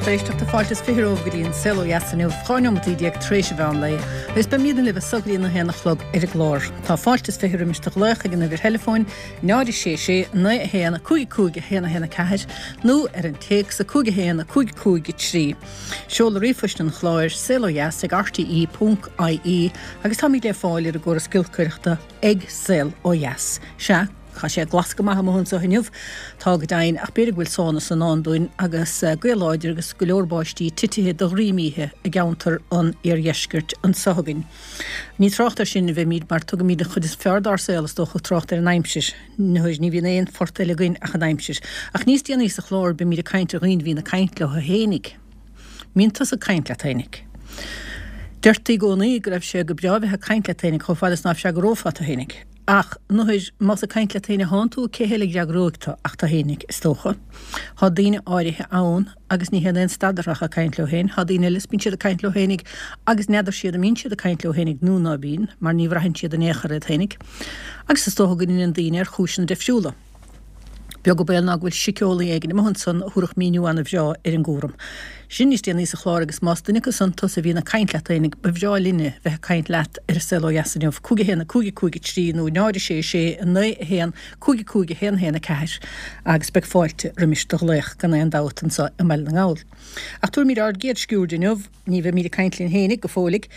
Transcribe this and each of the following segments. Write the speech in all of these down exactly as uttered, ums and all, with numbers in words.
lucht éisteachta fáilte is fiche romhaibh go dtí an Saol Ó Dheas inniu dhá neomat déag tar éis an mheán lae agus beimidne libh anseo go dtí a haon a chlog ar an gclár. Tá fáilte is fiche roimis do ghlaoch ag an uimhir theileafóin náid sé sé naoi a haon cúig cúig a haon a haon a ceathair nó ar an téacs a cúig a haon a cúig cúig a trí. Seoladh ríomhphoist an chláir saol ó dheas ag RTE ponc IE agus táimid le fáil ar an gcóras giolcaireachta ag Saol Ó Dheas. Sea, Tá sé glas go maith amuigh anseo inniu tá go deimhin ach b'fhéidir go bhfuil sonas i ndán dúinn agus gaoth láidir agus go leor báistí titithe de dhroim oíche i gceantar an iardheiscirt anseo againn. Ní trácht air sin a bheimid mar tugaimid an chuid is fearr dár saol is dócha trácht ar an aimsir. Nuair ní bhíonn aon phort eile againn ach an aimsir. Ach níos déanaí sa chlár beimid ag caint ar dhaoine a bhíonn ag caint leo féinig. Mbíonn tusa ag caint leat féinig. Deirtí i gcónaí go raibh sé go breá bheith ag caint leat féinig chomh fada is ná raibh sé go rófhada féinig. Ach nuair más ag caint leat féin atánn tú, cé heile a fhreagróidh tú ach tú féinig, is dócha. Thá daoine áirithe ann agus ní théann aon stad orthu ach ag caint leo féin. Thá daoine eile is bíonn siad ag caint leo féinig agus n'fheadar siad an mbíonn siad ag caint leo féinig nó ná bíonn, mar ní bhraitheann siad in aon chor iad féinig. Agus is dócha go ndeineann daoine ar chúiseanna difriúla. Beag an baol ná go bhfuil síceolaí éigin amuigh ansan a thabharfadh míniú ana-bhreá ar an gcúram sin níos déanaí sa chlár agus más duine acu san tusa a bhíonn ag caint leat fhéinig, ba bhreá linne bheith ag caint leat ar An Saol Ó Dheas inniu, cúig a haon a cúig a cúig a trí nó náid a sé a sé a naoi a haon cúig a cúig a haon a haon a ceathair agus beidh fáilte roimis do ghlaoch gan aon dabht anso i mBaile na nGall. Ach tabharfaimid ár gcéad sciuird inniu. Ní bheimid ag caint linn fhéinig go fóillig.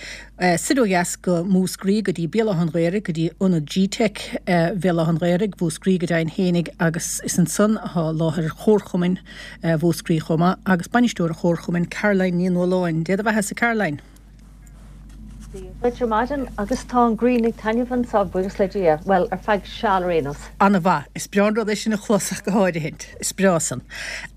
Soir ó dheas go Múscraí, go dtí Béal Átha an Ghaorthaidh, go dtí Ionad G-Teic Bhéal Átha an Ghaorthaidh, Mhúscraí go deimhin fhéinig agus is ansan athá láthair Chomharchumainn Mhúscraí chomh maith agus bainisteoir an Chomharchumainn, Caroline Ní Nualláin. Dé do bheathasa, Caroline. Dia duit ar maidin agus tá an ghrian ag taitneamh anseo, buíochas le Dia, bhuel, ar feadh seal ar aon nós. Ana-mhaith. Is breá an rud é sin a chlos ach go háirithint. Is breá san.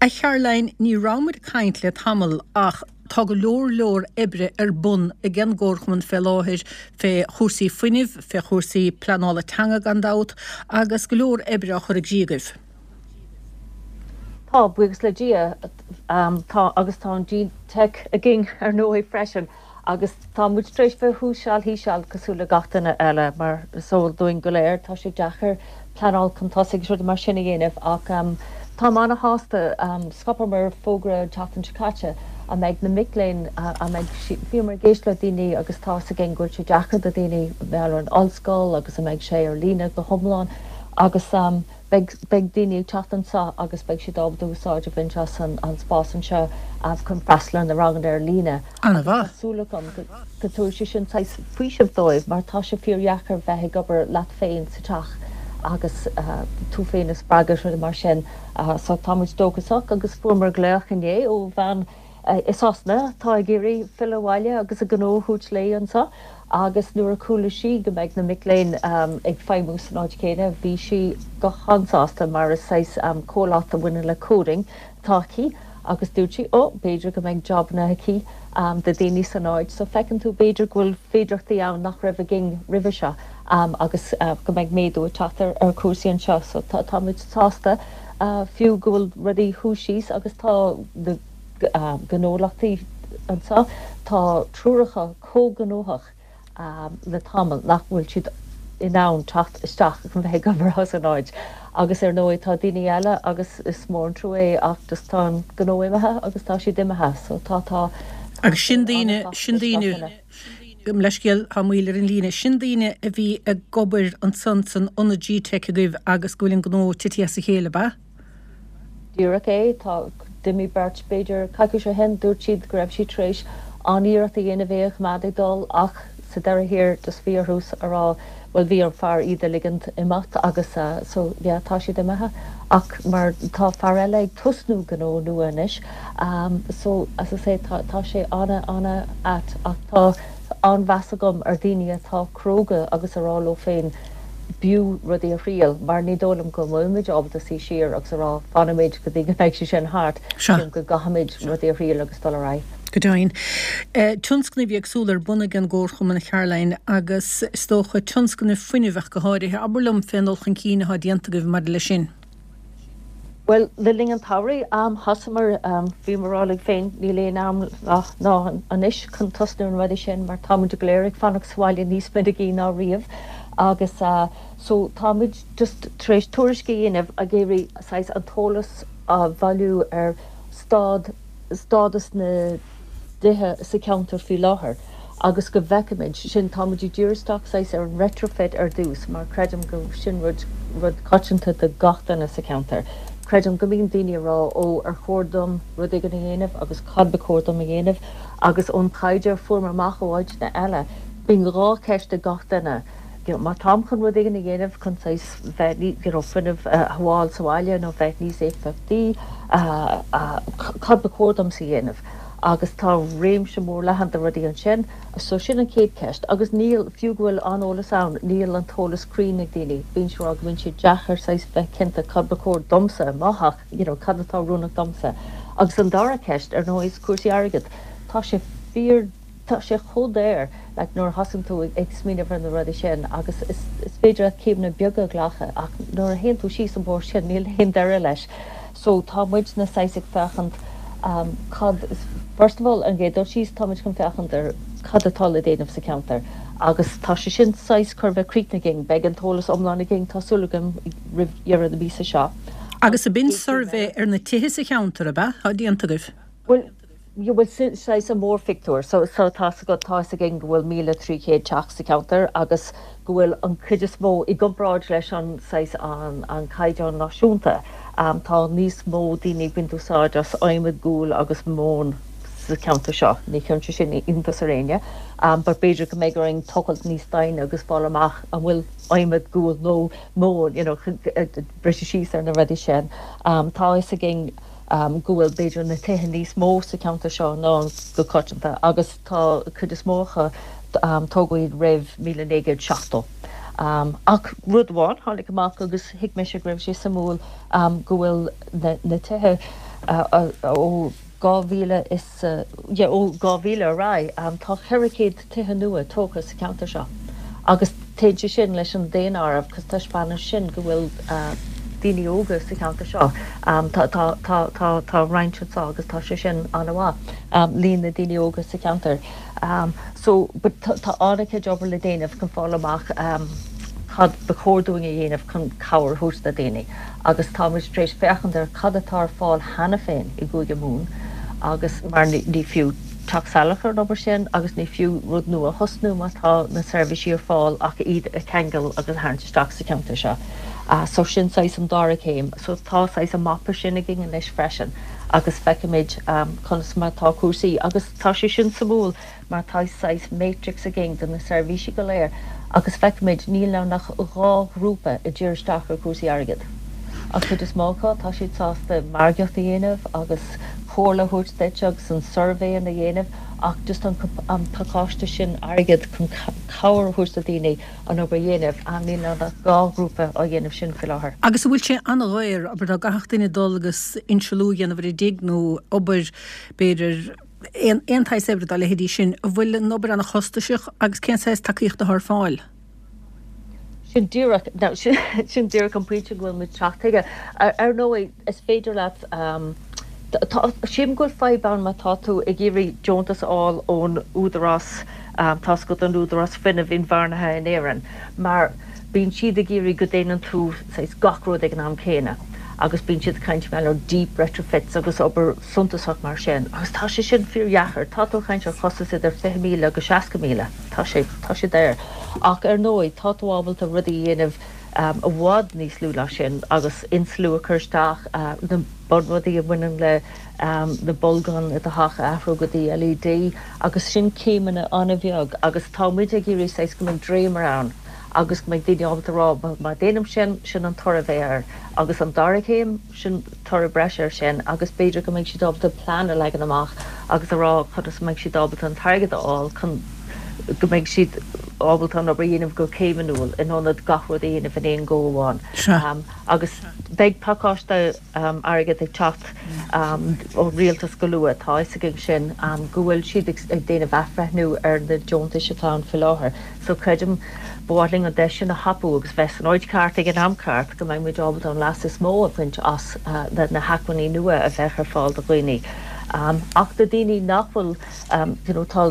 A Charoline, ní raibh muid ag caint le tamall ach tá go leor leor oibre ar bun ag an gComharchumann fé láthair fé chúrsaí fuinnimh, fé chúrsaí pleanála teanga gan dabht, agus go leor oibre á chur i gcrích agaibh. Tá, buíochas le Dia, tá, agus tá an G-Teic againn ar ndóigh freisin. Agus tá muid tar éis bheith thuas seal thíos seal cosúil le gach duine eile, mar is eol dúinn go léir, tá sé deacair pleanáil chun tosaigh agus rudaí mar sin a dhéanamh ach táim ana-shásta, scaipeamar fógra an tseachtain seo caite a mbeidh na mic léinn, a mbeidh, bhíomar ag éisteacht le daoine agus tá fhios againn go bhfuil sé deacair do dhaoine bheith ar an ollscoil agus a mbeidh sé ar líne go hiomlán agus Beidh, beidh daoine ag teacht anseo agus beidh siad ábalta úsáid a bhaint as an, an spás anseo chun freastal ar na ranganna ar líne agus tá Ana-mhaith. súil agam go, go dtabharfaidh sé sin saghas faoiseamh dóibh mar tá sé fíordheacair bheith ag obair leat féin sa teach agus tú féin a spreagadh is rudaí mar sin. So tá muid dóchasach agus fuaireamar glaoch inné ó bhean i Sasana atá ag iarraidh filleadh abhaile agus a gnó a thabhairt léi anseo agus nuair a chuala sí go mbeidh na mic léinn ag feidhmiú san áit chéanna bhí sí go han-sásta mar is saghas comhlacht a bhaineann le coding atá aici agus dúirt sí oh b'fhéidir go mbeidh jabanna aici do daoine san áit so feiceann tú b'fhéidir go bhfuil féidearthachtaí ann nach raibh againn roimhe seo agus go mbeidh méadú ag teacht ar chúrsaí anseo so táimid sásta fiú go bhfuil rudaí thuas síos agus tá na gnólachtaí anseo, tá triúr acu chomh gnóthach le tamall nach bhfuil siad in ann teacht isteach chun bheith ag obair as an áit. Agus ar ndóigh tá daoine eile agus is mór an trua é ach just tá an gnó imithe agus tá siad imithe so tá tá tá Agus sé sin daoine, an-chaite sin isteach daoine, ina. gabh mo leithscéal, tá moill ar an líne, sin daoine a bhí ag obair ansan san ionad G-Teic agaibh agus go bhfuil an gnó titithe as a chéile, ab ea? Díreach é. Tá, d'imigh beirt b'fhéidir coicís ó shin, dúirt siad go raibh siad tar éis an-iarracht a dhéanamh é a choimeád ag dul ach sa deireadh thiar just bhí orthu a rá bhuel bhí ar fear iad a ligint imeacht agus so yeah tá siad imithe ach mar tá fear eile ag tosnú gnó nua anois so as I say tá tá sé ana ana ait ach tá an-mheas agam ar daoine atá cróga agus a rá leo féin b'fhiú rudaí a thriail, mar ní dóigh liom go mbeimid ábalta suí siar agus a rá fanfaimid go dtí go mbeidh sé sin thart, Sea. sílim go gcaithfimid rudaí a thriail agus dul ar aghaidh. Go deimhin. Tionscnaimh éagsúla ar bun ag an gComharchumann, a Charoline, agus is dócha tionscnaimh fuinnimh ach go háirithe. Abair liom fén dul chun cinn atá déanta agaibh maidir leis sin. Bhuel, le linn an tsamhraidh, thosaíomar, bhíomar ag rá linn féin, níl aon am ná anois chun tosnú ar na rudaí sin mar táimid go léir ag fanacht sa bhaile níos minicí ná riamh agus so táimid just tar éis tuairisc a dhéanamh ag iarraidh saghas an t-eolas a bhailiú ar staid stádas na dtithe sa cheantar faoi láthair agus go bhfeicfimid sin táimid ag díriú isteach saghas ar an retrofit ar dtús mar creidim go sin rud rud coitianta do gach duine sa cheantar. Creidim go mbíonn daoine ag rá ó ar chóir dom rud éigin a dhéanamh agus cad ba chóir dom a dhéanamh agus ón taighde a fuair amach ó áiteanna eile bíonn dhá cheist ag gach duine. You know, má táim chun rud éigin a dhéanamh chun saghas bheith you know, fuinneamh a shábháil sa bhaile nó bheith níos éifeachtaí cad ba chóir dom a dhéanamh. agus tá réimse mór leathan de rudaí ansin, so sin an chéad cheist, agus níl fiú go bhfuil an eolas ann, níl an t-eolas cruinn ag daoine, bíonn sé go mbíonn sé deacair saghas bheith cinnte cad ba chóir domsa amach, you know, cad atá oiriúnach domsa. Agus an dara ceist ar ndóigh cúrsaí airgid. Tá sé fíor tá sé chomh daor like, nuair a thosaíonn tú ag smaoineamh ar na rudaí sin agus is, is féidir céimeanna beaga a ghlacadh ach nuair a théann tú síos an bóthar sin níl aon deireadh leis. So tá muid na saghas ag féachaint um, cad first of all an gcéad dul síos táimid chun féachaint ar cad atá le déanamh sa cheantar. agus tá sé sin saghas chun bheith críochnaithe againn, beidh an t-eolas iomlán againn tá súil agam roimh dheireadh na míosa seo. Agus ab in suirbhé ar na tithe sa cheantar ab ea atá déanta agaibh. Well, you will saghas an mórphictiúr, so, so tá go tá againn go bhfuil míle trí chéad teach sa cheantar agus go bhfuil an chuid is mó i gcomparáid leis an saghas an, an caighdeán náisiúnta. Um, tá níos mó daoine ag baint úsáid as adhmad guail agus móin sa cheantar seo, ní chuireann sé sin iontas ar éinne, um, but b'fhéidir go mbeidh orainn tochailt níos doimhne agus fáil amach an bhfuil adhmad guail nó móin you know, briseadh síos ar na rudaí sin. Um, tá fhios againn um, go bhfuil b'fhéidir na tithe níos mó sa cheantar seo ná go coitianta agus tá cuid is mó acu um, tógtha roimh míle naoi gcéad seachtó. Um, ach rud amháin tháinig amach agus thuig mé go raibh sé suimiúil um, go bhfuil na, na tithe uh, uh, ó dhá mhíle is uh, yeah, ó dhá mhíle ar aghaidh um, tá ceithre chéad tithe nua tógtha sa cheantar seo. Agus téann sé sin leis an daonáireamh cos taispeánann sin go bhfuil uh, daoine óga sa cheantar seo. Um, tá tá tá tá tá roinnt anseo agus tá sé sin an-mhaith um, líon na daoine óga sa cheantar. Um, so but tá tá an-chuid obair le déanamh chun fáil amach um, cad ba chóir dúinn a dhéanamh chun cabhair a thabhairt do dhaoine. agus táimid tar éis féachaint ar cad atá ar fáil cheana féin i gCúige Mumhan agus mar ní, ní fiú teacht salach ar an obair sin agus ní fiú rud nua a thosnú má tá na seirbhísí ar fáil ach iad a cheangal agus a tharraingt isteach sa cheantar seo. Uh, so sin saghas an dara céim, so tá saghas an mapa sin againn anois freisin agus feicimid um, conas mar tá cúrsaí agus tá sé sin suimiúil mar tá saghas matrix againn de na seirbhísí go léir agus feicimid níl ann ach dhá ghrúpa ag díriú isteach ar cúrsaí airgid. Ach chuid is mó acu tá siad sásta margaíocht a dhéanamh agus comhairle a thabhairt duit agus an suirbhé a dhéanamh ach just an, an pacáiste sin airgid chun cabhair a thabhairt do dhaoine an obair a dhéanamh an níl ann ach dhá ghrúpa á dhéanamh sin faoi láthair. Agus an bhfuil sé an-dhaor abair dá gcaithfeadh duine dul agus inslú a dhéanamh ar a dtigh nó obair b'fhéidir aon aon tsaghas oibre dá leithéidí sin, an bhfuil an obair an-chostasach agus cén saghas tacaíocht atá ar fáil. Sin díreach no, sin, sin díreach an pointe go bhfuil muid ag teacht chuige. Ar, ar ndóigh is féidir leat um, Sílim go bhfuil fadhb ann má tá tú ag iarraidh deontas a fháil ón údarás um, tá an údarás fuinnimh inbhuanaithe in Éirinn, mar bíonn siad ag iarraidh go ndéanann tú saghas gach rud ag an am céanna. agus bíonn siad ag caint mar deep retrofits agus obair suntasach mar sin. agus tá sé sin fíordheacair, tá tú ag caint ar chostas idir fiche míle agus seasca míle, Tá sé tá sé daor. Ach ar ndóigh tá tú ábalta rudaí a dhéanamh um, i bhfad níos lú ná sin agus inslú a chur isteach uh, na bunrudaí a bhaineann le um, na bolgáin i do theach a athrú go dtí LED agus sin céimeanna an-bheag agus tá muid ag iarraidh saghas go mbeidh dréimire ann agus go mbeidh daoine ábalta rá má déanaim sin sin an toradh a bheidh air agus an dara céim sin toradh breise air sin agus b'fhéidir go mbeidh siad ábalta plean a leagan amach agus a rá conas mbeidh siad ábalta an t-airgead a fháil chun go mbeidh siad ábalta an obair a dhéanamh go céimniúil in ionad gach rud a dhéanamh in aon go amháin. Um, agus beidh pacáiste um, airgead ag teacht um, ó rialtas go luath tá a fhios againn sin um, go bhfuil siad ag, ag déanamh athbhreithniú ar na deontais atá ann faoi láthair. So creidim ba mhaith linn an deis sin a thapú agus bheith san áit cheart ag an am ceart go mbeidh muid ábalta an leas is mó a bhaint as uh, na, na hacmhainní nua a bheith ar fáil do dhaoine. Um, ach do daoine nach bhfuil um, you know, tá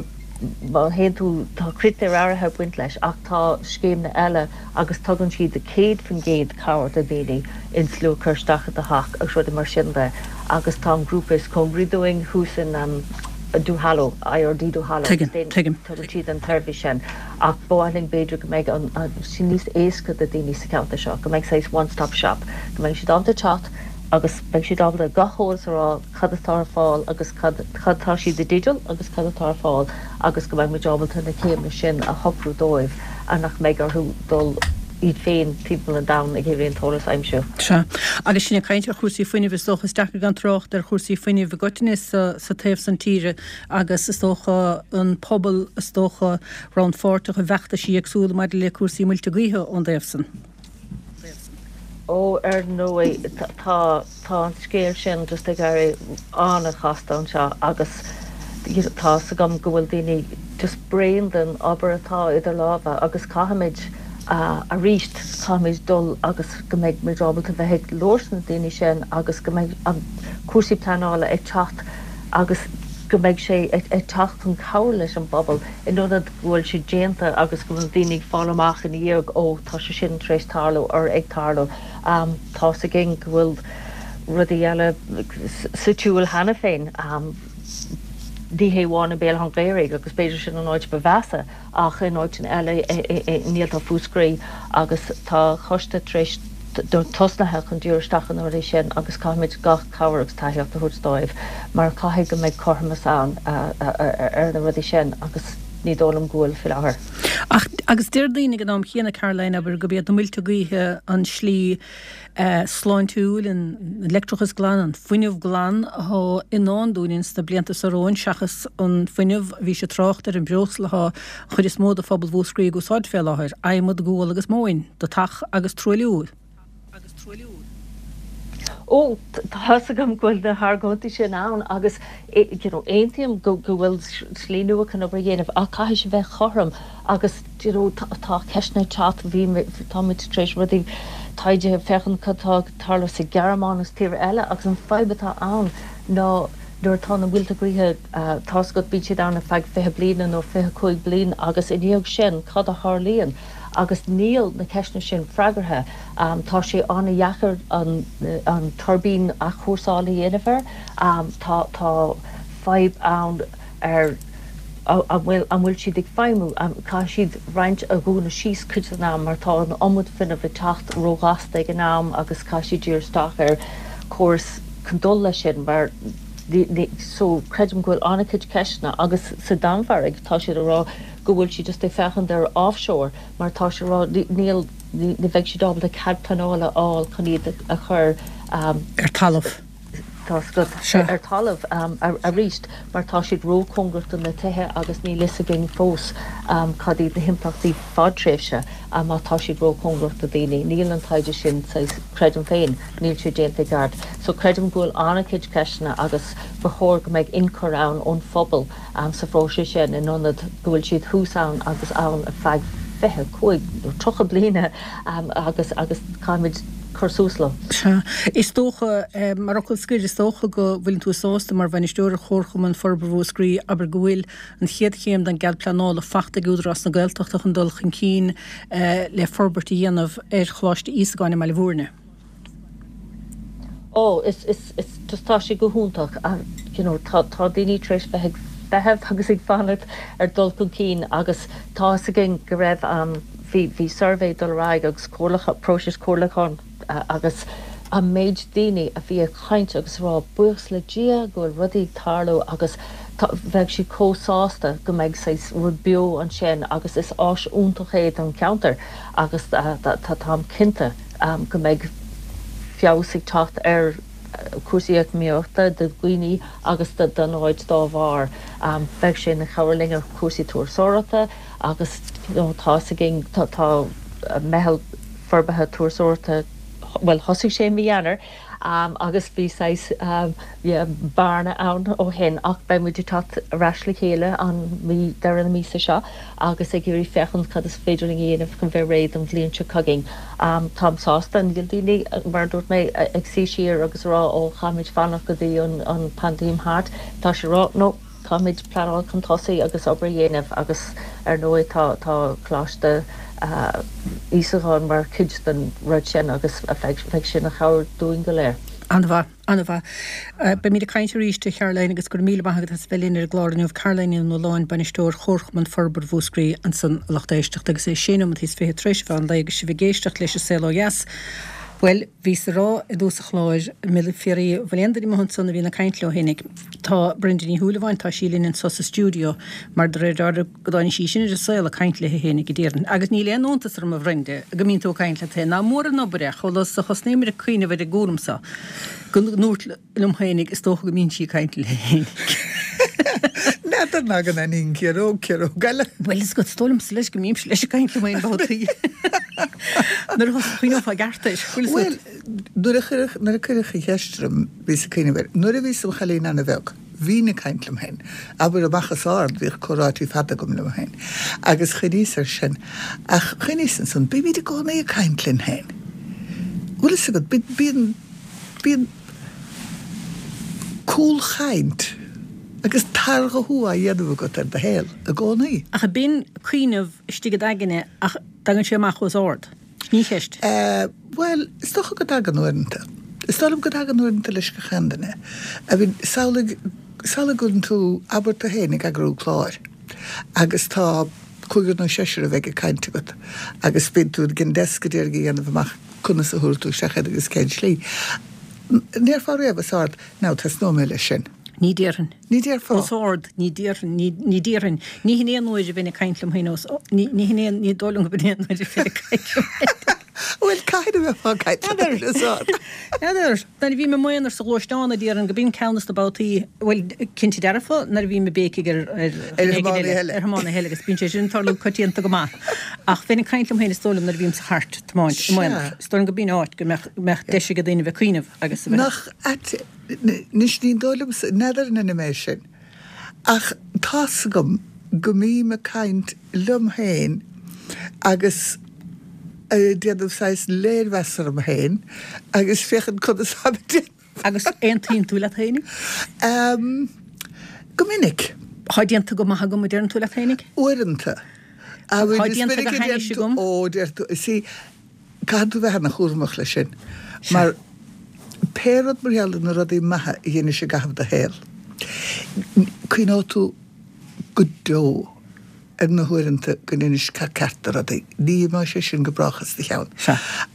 má théann tú tá critéir áirithe ag baint leis ach tá scéimeanna eile agus tugann siad céad faoin gcéad cabhair do dhaoine insliú a chur isteach i do theach agus rudaí mar sin de agus tá an grúpa is cóngaraí dúinn thuas in um, Duhallow, IRD Duhallow Tuigim. tugann siad an tseirbhís sin ach ba mhaith linn b'fhéidir go mbeidh an sin níos éasca do daoine sa cheantar seo, go mbeidh saghas one stop shop, go mbeidh siad ábalta teacht agus beidh siad ábalta gach eolas a rá cad atá ar fáil agus cad tá siad i dteideal agus cad atá ar fáil agus go mbeidh muid ábalta na céimeanna sin a shocrú dóibh a nach mbeidh orthu dul iad féin timpeall an domhain ag iarraidh an t-eolas a aimsiú. Sea. Agus sinn ag caint ar chúrsaí fuinnimh is dócha is deacair gan trácht ar chúrsaí fuinnimh i gcoitinne sa, sa taobh san tíre agus is dócha an pobal is dócha rannpháirteach i bhfeachtaisí éagsúla maidir le cúrsaí muilte gaoithe ón dtaobh san. Ó ar ndóigh tá tá an scéal sin just ag éirí an-chasta anseo agus tá a fhios agam go bhfuil daoine just bréan den obair atá idir lámha agus caithfimid arís caithfimid dul agus go mbeidh muid ábalta bheith ag labhairt na daoine sin agus go mbeidh an cúrsaí pleanála ag teacht agus go mbeidh sé ag teacht chun cabhair leis an bpobal in ionad go bhfuil sé déanta agus go bhfuil daoine ag fáil amach ina dhiaidh ó tá sé sin tar éis tarlú or ag tarlú. Um, tá a fhios againn go bhfuil rudaí eile sa tsiúl cheana féin. Um, ní hé amháin i mBéal Átha an Ghaorthaidh agus b'fhéidir sin an áit ba mheasa ach in áit eile níl Mhúscraí agus tá coiste tar éis tosnaithe chun díriú isteach an rudaí sin agus caithfimid gach cabhair agus tacaíocht a thabhairt dóibh mar caithfidh go mbeidh cothromas ann ar na rudaí sin agus ní dóigh liom go bhfuil faoi láthair. Ach agus deir daoine ag an am chéanna Caroline abair gurb iad na muilte gaoithe an slí uh, sláintiúil an leictreachas glan an fuinneamh glan atá i ndán dúinn sna blianta seo romhainn seachas an fuinneamh bhí sé trácht ar an breosla atá an chuid is mó de phobal Mhúscraí ag úsáid fé láthair, adhmad gual agus móin, do theach agus truailliú. Agus truailliú. Ó tá a fhios agam go bhfuil na hargóintí sin ann agus you know, aontaím go go bhfuil slí nua chun obair a dhéanamh ach caithfidh sé bheith cothrom agus you know, tá ceisteanna ag teacht bhí táimid tar éis rudaí taighde féachaint cad atá ag tarlú sa Ghearmáin agus tír eile agus an fadhb atá ann ná nuair atá na muilte gaoithe tá go bíonn siad ann ar feadh fiche bliana nó fiche cúig bliain agus i ndiaidh sin cad a tharlaíonn agus níl na ceisteanna sin freagartha. Um, tá sé an-deacair an, an tuirbín athchúrsáil a dhéanamh air. Um, tá tá fadhb ann ar an bhfuil an bhfuil siad ag feidhmiú um, caithfidh siad roinnt a dhúnadh síos cuid den am mar tá an iomad fuinnimh ag teacht róghasta ag an am agus caithfidh siad díriú isteach ar córas chun dul leis sin mar so creidim go bhfuil an-chuid ceisteanna agus sa Danmhairg tá siad ag rá go bhfuil siad just ag féachaint ar offshore mar tá sé rá níl ní bheidh siad ábalta cead pleanála a fháil chun iad a chur um, ar talamh. Tá ar talamh um, arís mar tá siad róchóngarach do na tithe agus níl a fhios againn fós um, cad iad na himpleachtaí fadtréimhse um, má tá siad róchóngarach do daoine. Níl an taighde sin creidim féin, níl sé déanta i gceart. So creidim go bhfuil an-chuid ceisteanna agus ba chóir go mbeidh ionchur ann ón phobal um, sa phróiseas sin in ionad go bhfuil siad thuas ann agus ann ar feadh fiche cúig nó tríocha bliana um, agus agus caithfimid cur suas leo. Sea. Is dócha eh, mar fhocal scoir is dócha go bhfuil tú sásta mar bhainisteoir Chomharchumann Forbartha Mhúscraí abair go bhfuil an chéad chéim den gcead pleanála faighte ag Údarás na Gaeltachta chun dul chun cinn eh, le forbairt a dhéanamh ar Choláiste Íosagáin i mBaile Bhúirne. Ó is is is just tá sé go hiontach you know, tá tá daoine tar éis bheith ag feitheamh agus ag fanacht ar dul chun cinn agus tá a fhios againn go raibh um, bhí bhí suirbhé dul ar aghaidh agus comhairleach próiseas comhairliúcháin uh, agus an méid daoine a bhí ag caint agus rá buíochas le Dia go bhfuil rudaí ag tarlú agus bheadh siad chomh sásta go mbeidh saghas rud beo ansin agus is áis iontach é don cheantar agus tá táim cinnte um, go mbeidh feabhas ag teacht ar cúrsaí eacnamaíochta do dhaoine agus don áit dá bharr. Um, bheadh sé ina chabhair linn ar cúrsaí turasóireachta agus you know, tá a fhios againn tá tá meitheal forbartha turasóireachta well thosaigh sé mí Eanáir um, agus bhí saghas um, yeah, bearna ann ó shin ach beidh muid ag teacht ar ais le chéile an mí deireadh na míosa seo agus ag iarraidh féachaint cad is féidir linn a dhéanamh chun bheith réidh don bhliain seo chugainn. Um, Táim sásta níl daoine mar dúirt mé ag suí siar agus rá ó caithfimid fanacht go dtí an, an paindéim thart, Tá sé rá no Caithfimid pleanáil chun tosaigh agus obair a dhéanamh agus ar ndóigh tá tá Coláiste Íosagáin mar chuid den rud sin agus bheidh sin ina chabhair dúinn go léir. An-mhaith, an-mhaith. Beimid ag caint arís a Charoline agus go raibh míle maith agat as bheith linn ar an gclár inniu. Caroline Ní Nualláin, Bainisteoir Chomharchumann Forbartha Mhúscraí ansan a lucht éisteachta agus é sé nóiméad is fiche tar éis an mheán lae agus sibh ag éisteacht leis an Saol Ó Dheas. Bhuel, bhíos ag rá i dtús an chláir, mé ag fiafraí, bhfuil aon duine amuigh ansan a bhíonn ag caint leo fhéinig. Tá Brenda Ní Shúilleabháin, tá sí linn anso sa stiúideo, mar de réir dealraimh go dtáinig sí sin ar an saol ag caint léi fhéinig, a déarfainn. Agus níl aon iontas orm a Bhrenda, go mbíonn tú ag caint leat féin. Nach mór an obair é, chomh luath is a thosnaíomar ag cuimhneamh ar an gcúram so, go ndúrt liom féinig, is dócha go mbíonn sí ag caint léi fhéinig. N'fheadar ná go n-aithníonn ciaróg ciaróg eile. Bhuel, is is dóigh liomsa leis go mbímse leis ag caint liom féin babhtaí. Nuair a chuimhneofá i gceart air. Bhuel, nuair a cuireadh nuair a cuireadh an cheist orm bhíos ag cuimhneamh air. Nuair a bhíos im chailín ana-bheag, bhínn ag caint liom féin. Abair amach os ard, bhíodh comhráití fada agam liom féin. Agus chuimhníos air sin. Ach chuimhníos ansan, bímid i gcónaí ag caint linn féin. Bhfuil fhios agat, bíonn, bíonn cúlchaint agus targhuthú á dhéanamh agat ar do shaol i gcónaí. Ach bíonn cuimhneamh istigh i d'aigne ach tagann sé amach os ard. Ní cheist. Bhuel, is dócha go dtagann uaireanta. Is dóigh liom go dtagann uaireanta leis gach aon duine. I mean, samhlaigh, samhlaigh go bhfuil tú, abair tú féin ag eagrú cláir agus tá cúigear nó seisear a bheidh ag caint agat agus bíonn tú ag an desk a d'iarraidh a dhéanamh amach conas a thabharfaidh tú isteach iad agus cén slí. An ndéarfá riamh os ard, now tosnóidh mé leis sin. Ní déarfainn. Ní déarfá. Os ard, ní déarfainn, ní, ní déarfainn. Ní hin aon uair a bheinn ag caint liom féin os, ní, ní hin aon, ní dóigh liom go b'in aon uair a bheinn ag caint liom féin. Bhuel, caithfidh a bheifeá ag caint leat féin os ard. N'fheadar. Nuair a bhím i m'aonar sa ghluaisteán a déarfainn go b'in ceann des na babhtaí, bhuel, cinnte dearfa, nuair a bhím ag béicigh ar, ar, Ar thiománaithe eile. Ar thiománaithe eile agus bíonn sé sin ag tarlú coitianta go maith. Ach bheinn ag caint liom féin is dóigh liom nuair a bhím sa chairt ag tiomáint i m'aonar. Is dóigh liom go b'in áit go mbeadh, mbeadh deis ag daoine bheith ag cuimhneamh agus a bheith. Nach ait, Anois ní dóigh liomsa, n'fheadar an ionann é sin, ach tá's agam go mbím ag caint liom féin agus ag déanamh saghas léirmheas orm féin agus féachaint conas táim ag déanamh. Agus aontaíonn tú leat féinig? Go minic. Tá déanta go maith agam, a deireann tú leat féinig? Uaireanta. Tá déanta go hainnis agam. Ó, deir tú, see, Caithfidh tú bheith ana-chúramach leis sin, mar pé rud mar gheall ar na rudaí maithe a dheinis i gcaitheamh do shaoil, cuimhneoidh tú go deo ar na huaireanta go ndeinis ceart ceart de rudaí. Ní imeoidh sé sin go brách as do cheann.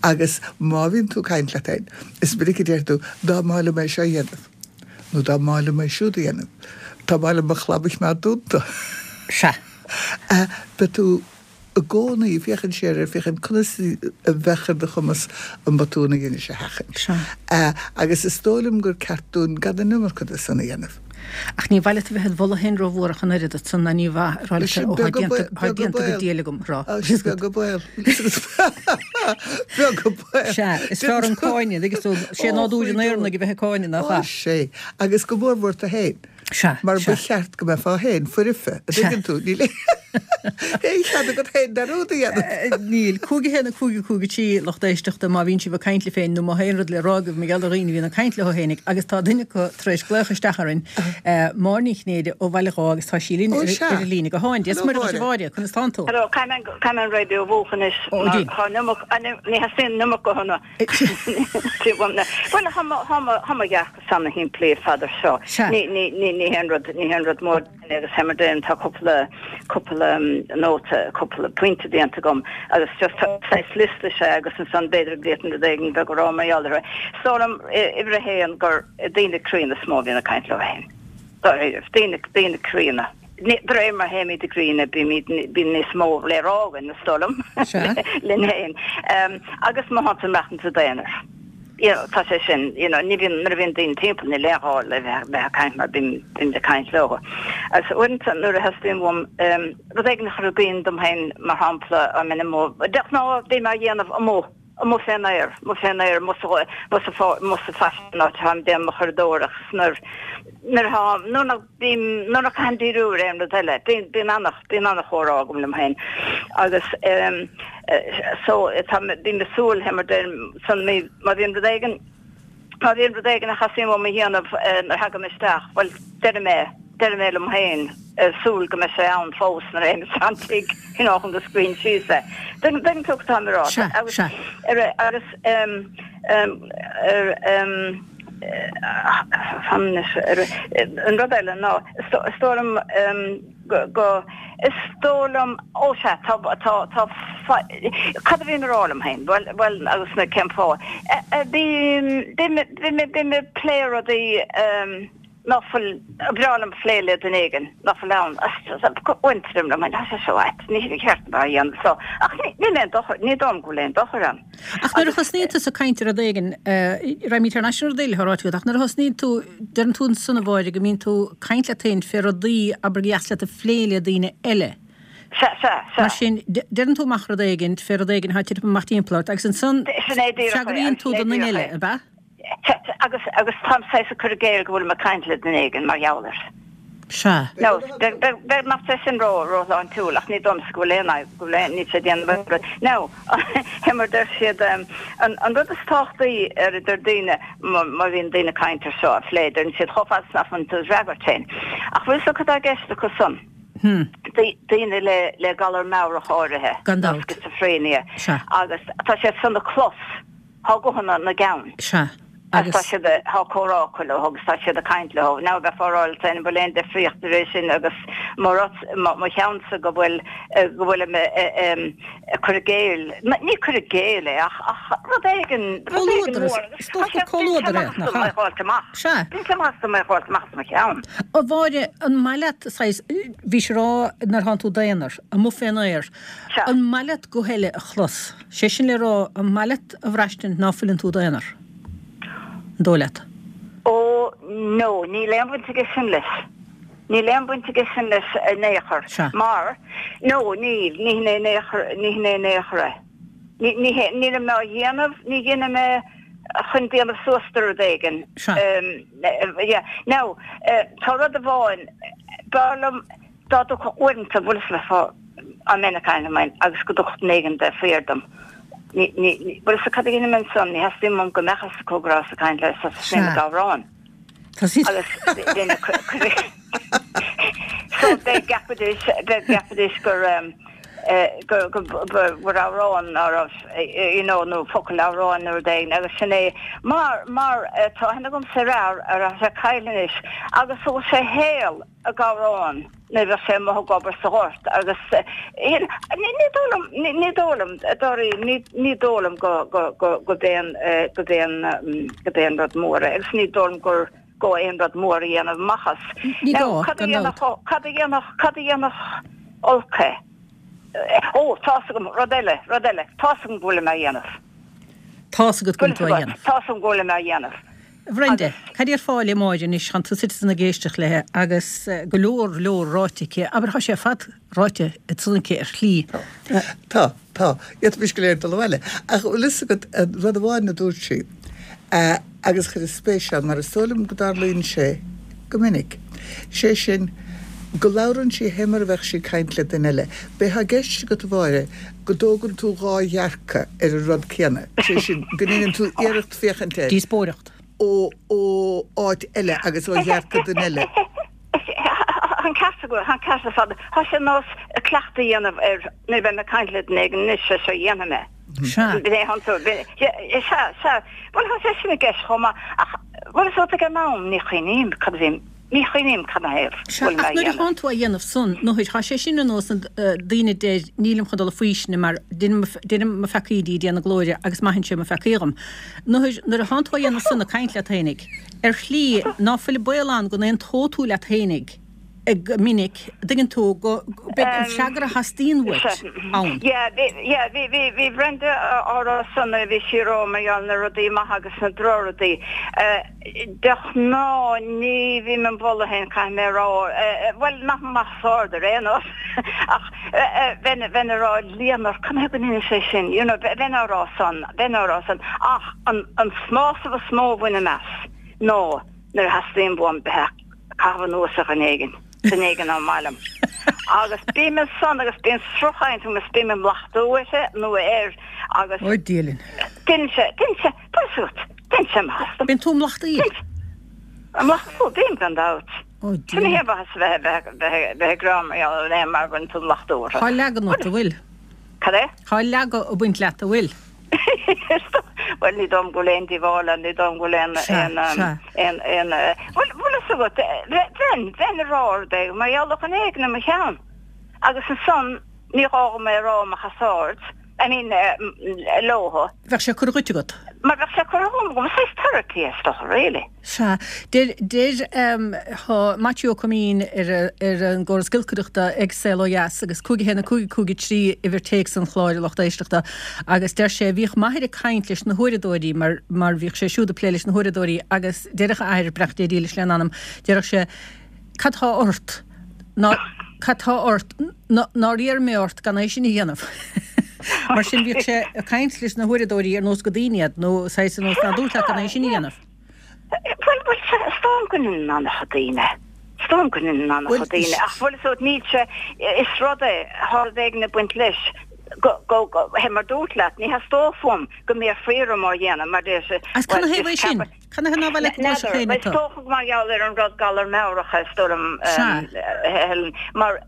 Agus má bhíonn tú ag caint leat féin, is minic a deir tú, dá mb'áil liom é seo a dhéanamh, nó dá mb'áil liom é siúd a dhéanamh, dá mb'áil liom mo chlab a choimeád dúnta. Sea. Beidh tú. i gcónaí ag féachaint siar air, féachaint conas a bheadh ar do chumas an botún a dheinis a sheachaint. Agus is dóigh liom gur ceart dúinn gan an iomarca de san a dhéanamh. Ach ní mhaith leat a bheith id mholadh féin rómhór ach an oiread, ansan ná ní mhaith a rá leat ó, tá déanta go diail agam, a rá. Is beag an baol. Beag an baol. Sea, is fearr an cáineadh, agus sé nádúr an Éireannaigh a bheith ag cáineadh, nach ea? Ó, sea. Agus go mórmhór tú féin. Sea, Mar ba sea. cheart go mbeifeá féin foirfe, a Sea. dtuigeann tú, níl aon chead agat féin dearúd a dhéanamh. Níl. Cúig a haon a cúig a cúig a trí, lucht éisteachta, má bhíonn sibh ag caint libh féin nó má tá aon rud le rá agaibh mar gheall ar dhaoine a bhíonn ag caint leo féinig agus tá duine acu tar éis glaoch isteach orainn, Máire Ní Chinnéide ó Bhaile Dháith agus tá sí linn Ó, ar sea. ar an líne gutháin. Dia is Hello, Muire dhuit a Mháire. Mháire, conas tánn tú? Hello, caithfidh mé an- caithfidh mé an raidió a mhúchadh anois Ó, mar déan. tá an iomarca, ní theastaíonn an iomarca guthanna. Bhuel, tá mo dhearcadh ana-shimplí ar fad ar seo. Ní ní haon rud ní haon rud mór agus mar sin tá cúpla cúpla nóta cúpla pointe déanta agam agus just saghas liosta sé agus ansan b'fhéidir go bhféadfainn rud éigin beag a rá mar gheall air. Is dóigh liom uimhir a haon gur daoine críonna is mó a bhíonn ag caint leo féin. Dáiríre, daoine daoine críonna. De réir mar a théimid i gcríonadh, bímid, bíonn níos mó le rá againn, is dóigh liom, linn féin. Agus má thánn tú ag maireachtaint i d'aonar, you know, tá sé sin, you know, ní bhíonn, nuair a bhíonn daoine timpeall, níl aon ghá le bheith, bheith ag caint mar bím, bímid ag caint leo. Agus uaireanta nuair a theastaíonn uaim rud éigin a chur i gcuimhne dom féin, mar shampla, I mean, amuigh, de ghnáth bím á dhéanamh amuigh, amuigh fén aer, amuigh fén aer, amuigh sa, amuigh sa pháirc, amuigh sa phaiste, an áit atáim ag déanamh mo churadóireacht, nuair, nuair atá, nuair nach bím, nuair nach caithim díriú ar aon rud eile, bíonn, bíonn ana, bíonn ana-chomhrá agam liom féin. Agus ehm so tá, bím ag súil, mar deirim, san mí, má bhíonn rud éigin, má bhíonn rud éigin a theastaíonn uaim a dhéanamh nuair a thagaim isteach, bhuel, deirim é, Deirim é liom féin, súil go mbeidh sé ann fós nuair a théim isteach an tigh, you know, chun go scríobhainn síos é. Tuigeann tú cad táim a rá. Sea, sea. Agus, em, em, ar, em, fan anois, ar, an rud eile ná, is dóigh liom, em, go, go, is dóigh liom, ó sea, tá, tá, tá, cad a bhím a rá liom féin? Bhuel, bhuel, agus na cén fáth? Bím, bím, bím, bím ag plé rudaí, em, ná fuil, ba bhreá liom plé le duine éigin ná fuil ann, uaireanta deirim liom féin, tá sé seo ait, ní ní cheart dom a dhéanamh so, ach ní níl aon dochar, ní dóigh liom go bhfuil aon dochar ann. Ach nuair a thosnaíonn tusa ag caint ar rud éigin, raghaimid thar n-ais ar an rud eile atá ráite agat, ach nuair a thosnaíonn tú, deireann tú ansan a Mháire go mbíonn tú ag caint leat féin fé rudaí abair gur dheas leat a phlé le daoine eile. Sea, sea, sea. Mar sin, deireann tú amach rud éigin fé rud éigin atá ag titim amach timpeall ort agus ansan Sin é díreach é, freagraíonn tú sin é don duine díreach eile, é. ab ea? Agus, agus táim saghas ag cur i gcéill go bhfuilim ag caint le duine éigin mar gheall air. Sea. Nó, b'fhéidir nach sé sin ró, róshláintiúil, ach ní dóigh liomsa go bhfuil aon fhadhb, go bhfuil aon, níl sé ag déanamh aon rud. Now, fé mar deir siad, an, an rud is tábhachtaí ar a deir daoine, má, má bhíonn daoine ag caint ar seo, a phlé, deireann siad chomh fada is nach mbíonn tú ag freagairt féin. Ach bhfuil fhios agat cad tá i gceist acu san? Hmm. Daoine le, le galar meabhrach áirithe. Gan dabht. Schizophréinia. Sea. Agus tá siad san ag clos. Tá guthanna ina gceann. Sea, Agus agus. tá siad a, tá comhrá acu leo agus tá siad ag caint leo. Now bheifeá ag rá leat féin an bhfuil aon difríocht idir é sin agus mo rud, mo, mo cheannsa go bhfuil, go bhfuilim ag cur i gcéill, ní cur i gcéill é ach, ach rud éigin, rud éigin Comhluadar, mór agus is tá dócha sé, gur bíonn sé comhluadar é, amach nach dom é ea? a fháilt amach. Sea. Bíonn sé amach dom é a fháilt amach as mo cheann. A Mháire, an maith leat, saghas, bhís ag rá nuair thánn tú d'aonar, amuigh fén aer, Sea. an maith leat guth eile a chlos? Sé sin le rá, an maith leat a bhraistint ná fuileann tú d'aonar? An dóigh leat? Ó, no, níl aon bhaint aige sin leis. Níl aon bhaint aige sin leis in aon chor. Sea. Mar, no, níl, ní hin é in aon chor, ní hin é in aon chor é. Ní, ní hé, nílim á dhéanamh, ní dhéanaim é chun déanamh suas de rud éigin. Sea. Um, yeah. Now, uh, tá rud amháin, b'fhearr liom dá dtiocfadh uaireanta, bhfuil fhios agat dá mbeinn ag caint liom féin agus go dtiocfadh duine éigin de faoi dom. Ní, ní, ní, bhfuil fhios agat cad a dhéanaim ansan, ní theastaíonn uaim go mbeadh fhios acu go rabhas ag caint le so Sea. ag amhrán. Tá sí. Agus bheinn ag cur, cur, so beidh gceapfaidís, beidh gceapfaidís gur, um, eh, gur, gur, gur, gur amhrán ná raibh, eh, you know, nó focal amhráin nó rud éigin agus sin é mar, mar eh, tá aithne agamsa ar fhear a raibh sé caillte anois agus thug sé shaol ag amhrán nuair a bheadh sé amuigh ag obair sa ghort agus ní ní dóigh liom ní ní dóigh liom dáiríre ní ní dóigh liom go go go go b'aon go b'aon go b'aon rud mór é agus ní dóigh liom gur gá aon rud mór a dhéanamh amach as. Ní Now gá, cad a gan dabht. dhéanfadh cad a dhéanfadh cad a dhéanfadh olc é? Ó tá's agam rud eile rud eile tá's agam go bhfuilim á dhéanamh. Tá's agat go bhfuil tú á dhéanamh. Tá's agam go bhfuilim á dhéanamh. Bhrenda, cad déarfá le Máire anois tánn tú suite ansan ag éisteacht léi agus go leor leor ráite aici, abair tá sé ar fad ráite ansan aici ar shlí. Tá, tá. D'fhéadfaimis go léir dul abhaile. Ach bhfuil fhios agat rud amháin a dúirt sí agus chuireas spéis ann mar is dóigh liom go dtarlaíonn sé go minic, sé sin go labhrann sí fé mar a bheadh sí ag caint le duine eile. B'é atá i gceist agat a Mháire go dtógann tú dhá dhearcadh ar an rud céanna, sé sin go ndéanann tú iarracht féachaint air. Díospóireacht. ó ó áit eile agus ó dhearcadh duine eile. An ceart agat, an ceart ar fad. Tá sé nós cleachtadh a dhéanamh ar nuair a bheidh mé ag caint le duine éigin anois sé seo a dhéanfaidh mé. Sea. B'é an tú, b'é, sea, sea. Bhuel tá sé sin i gceist chomh maith ach bhfuil fhios agat ag an am ní chuimhním cad a bhím, ní chuimhním cad ina thaobh Sea, bhfuil mé ach a nuair a dhéanamh. thánn tú á dhéanamh san, nuair, tá sé sin ar nós na daoine a deir nílim chun dul a faoistine mar deinim deinim mo pheacaí do Dhia na glóire agus maitheann sé mo pheacaí dhom. Nuair, nuair a thánn tú á dhéanamh san ag caint leat fhéinig, ar shlí ná fuil baol ann go n-aontóidh tú leat fhéinig go minic, dtuigeann tú, go beidh an freagra a theastaíonn uait ann. Yeah, bhí, yeah, bhí, bhí, bhí Brenda á rá san nuair a bhí sí ag rá mar gheall na rudaí maithe agus na drochrudaí. De ghnáth ní bhím im mholadh féin, caithfidh mé a rá, bhuel, nach amach os ard ar aon nós, ach bheinn, bheinn ag rá líonmhar, cad ina thaobh go ndeinim sé sin, you know, bheinn á rá san, bheinn á rá san, ach an, an sásamh is mó a bhainim as ná nuair a theastaíonn uaim bheith ag caitheamh anuas ar dhuine éigin, duine éigin nach maith liom. Agus bím ansan agus bíonn sruthchaint agam is bím ag mlachtú uirthi nó air agus. Ó Dia linn. Deineann sé, deineann sé, tá fhios agat, deineann sé maitheas dom. Bíonn tú ag mlachtú? Ag mlachtú, bím gan dabht. Ó Sin ní Dia. haon mhaitheas a bheith bheith bheith ag rá mar gheall ar aon mar go bhfuil tú lochtú orthu. Tá leagan ort, a bhfuil? Cad é? Tá leagadh ag baint leat, a bhfuil? Bhuel ní dóigh liom go bhfuil aon díobháil ann, ní dóigh liom go bhfuil aon Sea, aon sea. aon aon bhuel bhfuil fhios agat bheinn bheinn ag rá rud éigin mar gheall ar dhuine éigin i mo cheann agus ansan ní gá dom é a rá amach os ard, I mean leothu. Bheadh sé curtha dhuit agat. Mar bheadh sé curtha dhom agam, saghas therapy is dócha really. Sea. Deir deir tá Maitiú Ó Coimín ar ar an gcóras giolcaireachta ag Saol Ó Dheas agus cúig a haon a cúig cúig a trí uimhir téacs an chláir a lucht éisteachta agus deir sé bhíodh m'athair ag caint leis na huaireadóirí mar mar bhíodh sé siúd ag plé leis na huaireadóirí agus deireadh a athair, beannacht Dé dílis lena anam, deireadh sé cad tá ort? Ná cad tá ort? Nár iarr mé ort gan é sin a dhéanamh? Mar sin bhíodh sé ag caint leis na huaireadóirí ar nós gur daoine iad, nó saghas ar nós nár dúirt leat gan é sin a dhéanamh. Bhuel, bhuel, is dóigh liom go ndéanann an-chuid daoine. Is dóigh liom go ndéanann an-chuid daoine. Ach bhfuil fhios agat, níl sé, is rud é, tá rud éigin ag baint leis, go, go, go, hé mar dúirt leat, ní theastódh uaim go mbéarfaí orm á dhéanamh, mar deir sé, Agus cad bhuel, na thaobh is é sin? ceapadh, Cad na thaobh ná bheith le go gcloisfeadh N'fheadar, éinne is tú? dócha mar gheall ar an rud galar meabhrach is dóigh liom, Sea. Helen, mar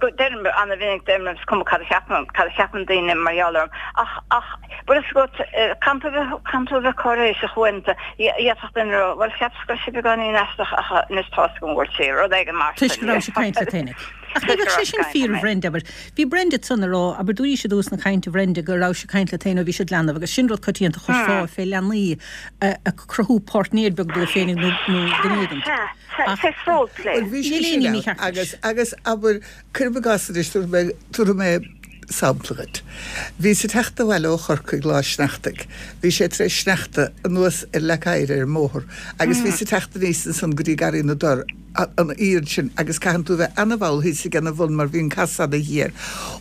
go deirim an-mhinic deirim is cuma cad a cheapann, cad a cheapann daoine mar gheall orm, ach, ach, bhfuil fhios agat, caithfidh tú a bheith, caithfidh tú a bheith cáiréiseach uaireanta, d'fhéadfadh duine a rá, bhuel cheapas go raibh sí beagáinín aisteach ach anois tá's agam go bhfuil sí, rud éigin mar Toisc sin. go raibh sí ag caint leat fhéinig. Ach ní Toisc go bheadh sé raibh sí sin ag caint fíor liom a Bhrenda, abair. Bhí Brenda ansan ag rá, abair dúraís i dtús na cainte a Bhrenda go raibh sí ag caint leat féin ó bhí siad leanbh agus sin rud coitianta a chloisfeá fé leanaí ag cruthú páirtnéir beag dóibh féinig nó nó duine Sea, éigint. sea, sea, Ach saghas role play. Bhuel bhí sé níl sin aon ann mícheart leis. agus agus abair cuirim i gcás anois tabharfaidh mé tabharfaidh mé sampla dhuit. Bhíos ag teacht abhaile ó Chorcaigh lá sneachtaidh. Bhí sé tar éis sneachta anuas ar leac oighir ar an mbóthar agus bhíos ag teacht aníos ansan go dtí Garraí na dTor an iarraidh sin agus caitheann tú bheith an-mhall thíos ag an bhun mar bhí an casán ana-ghéar.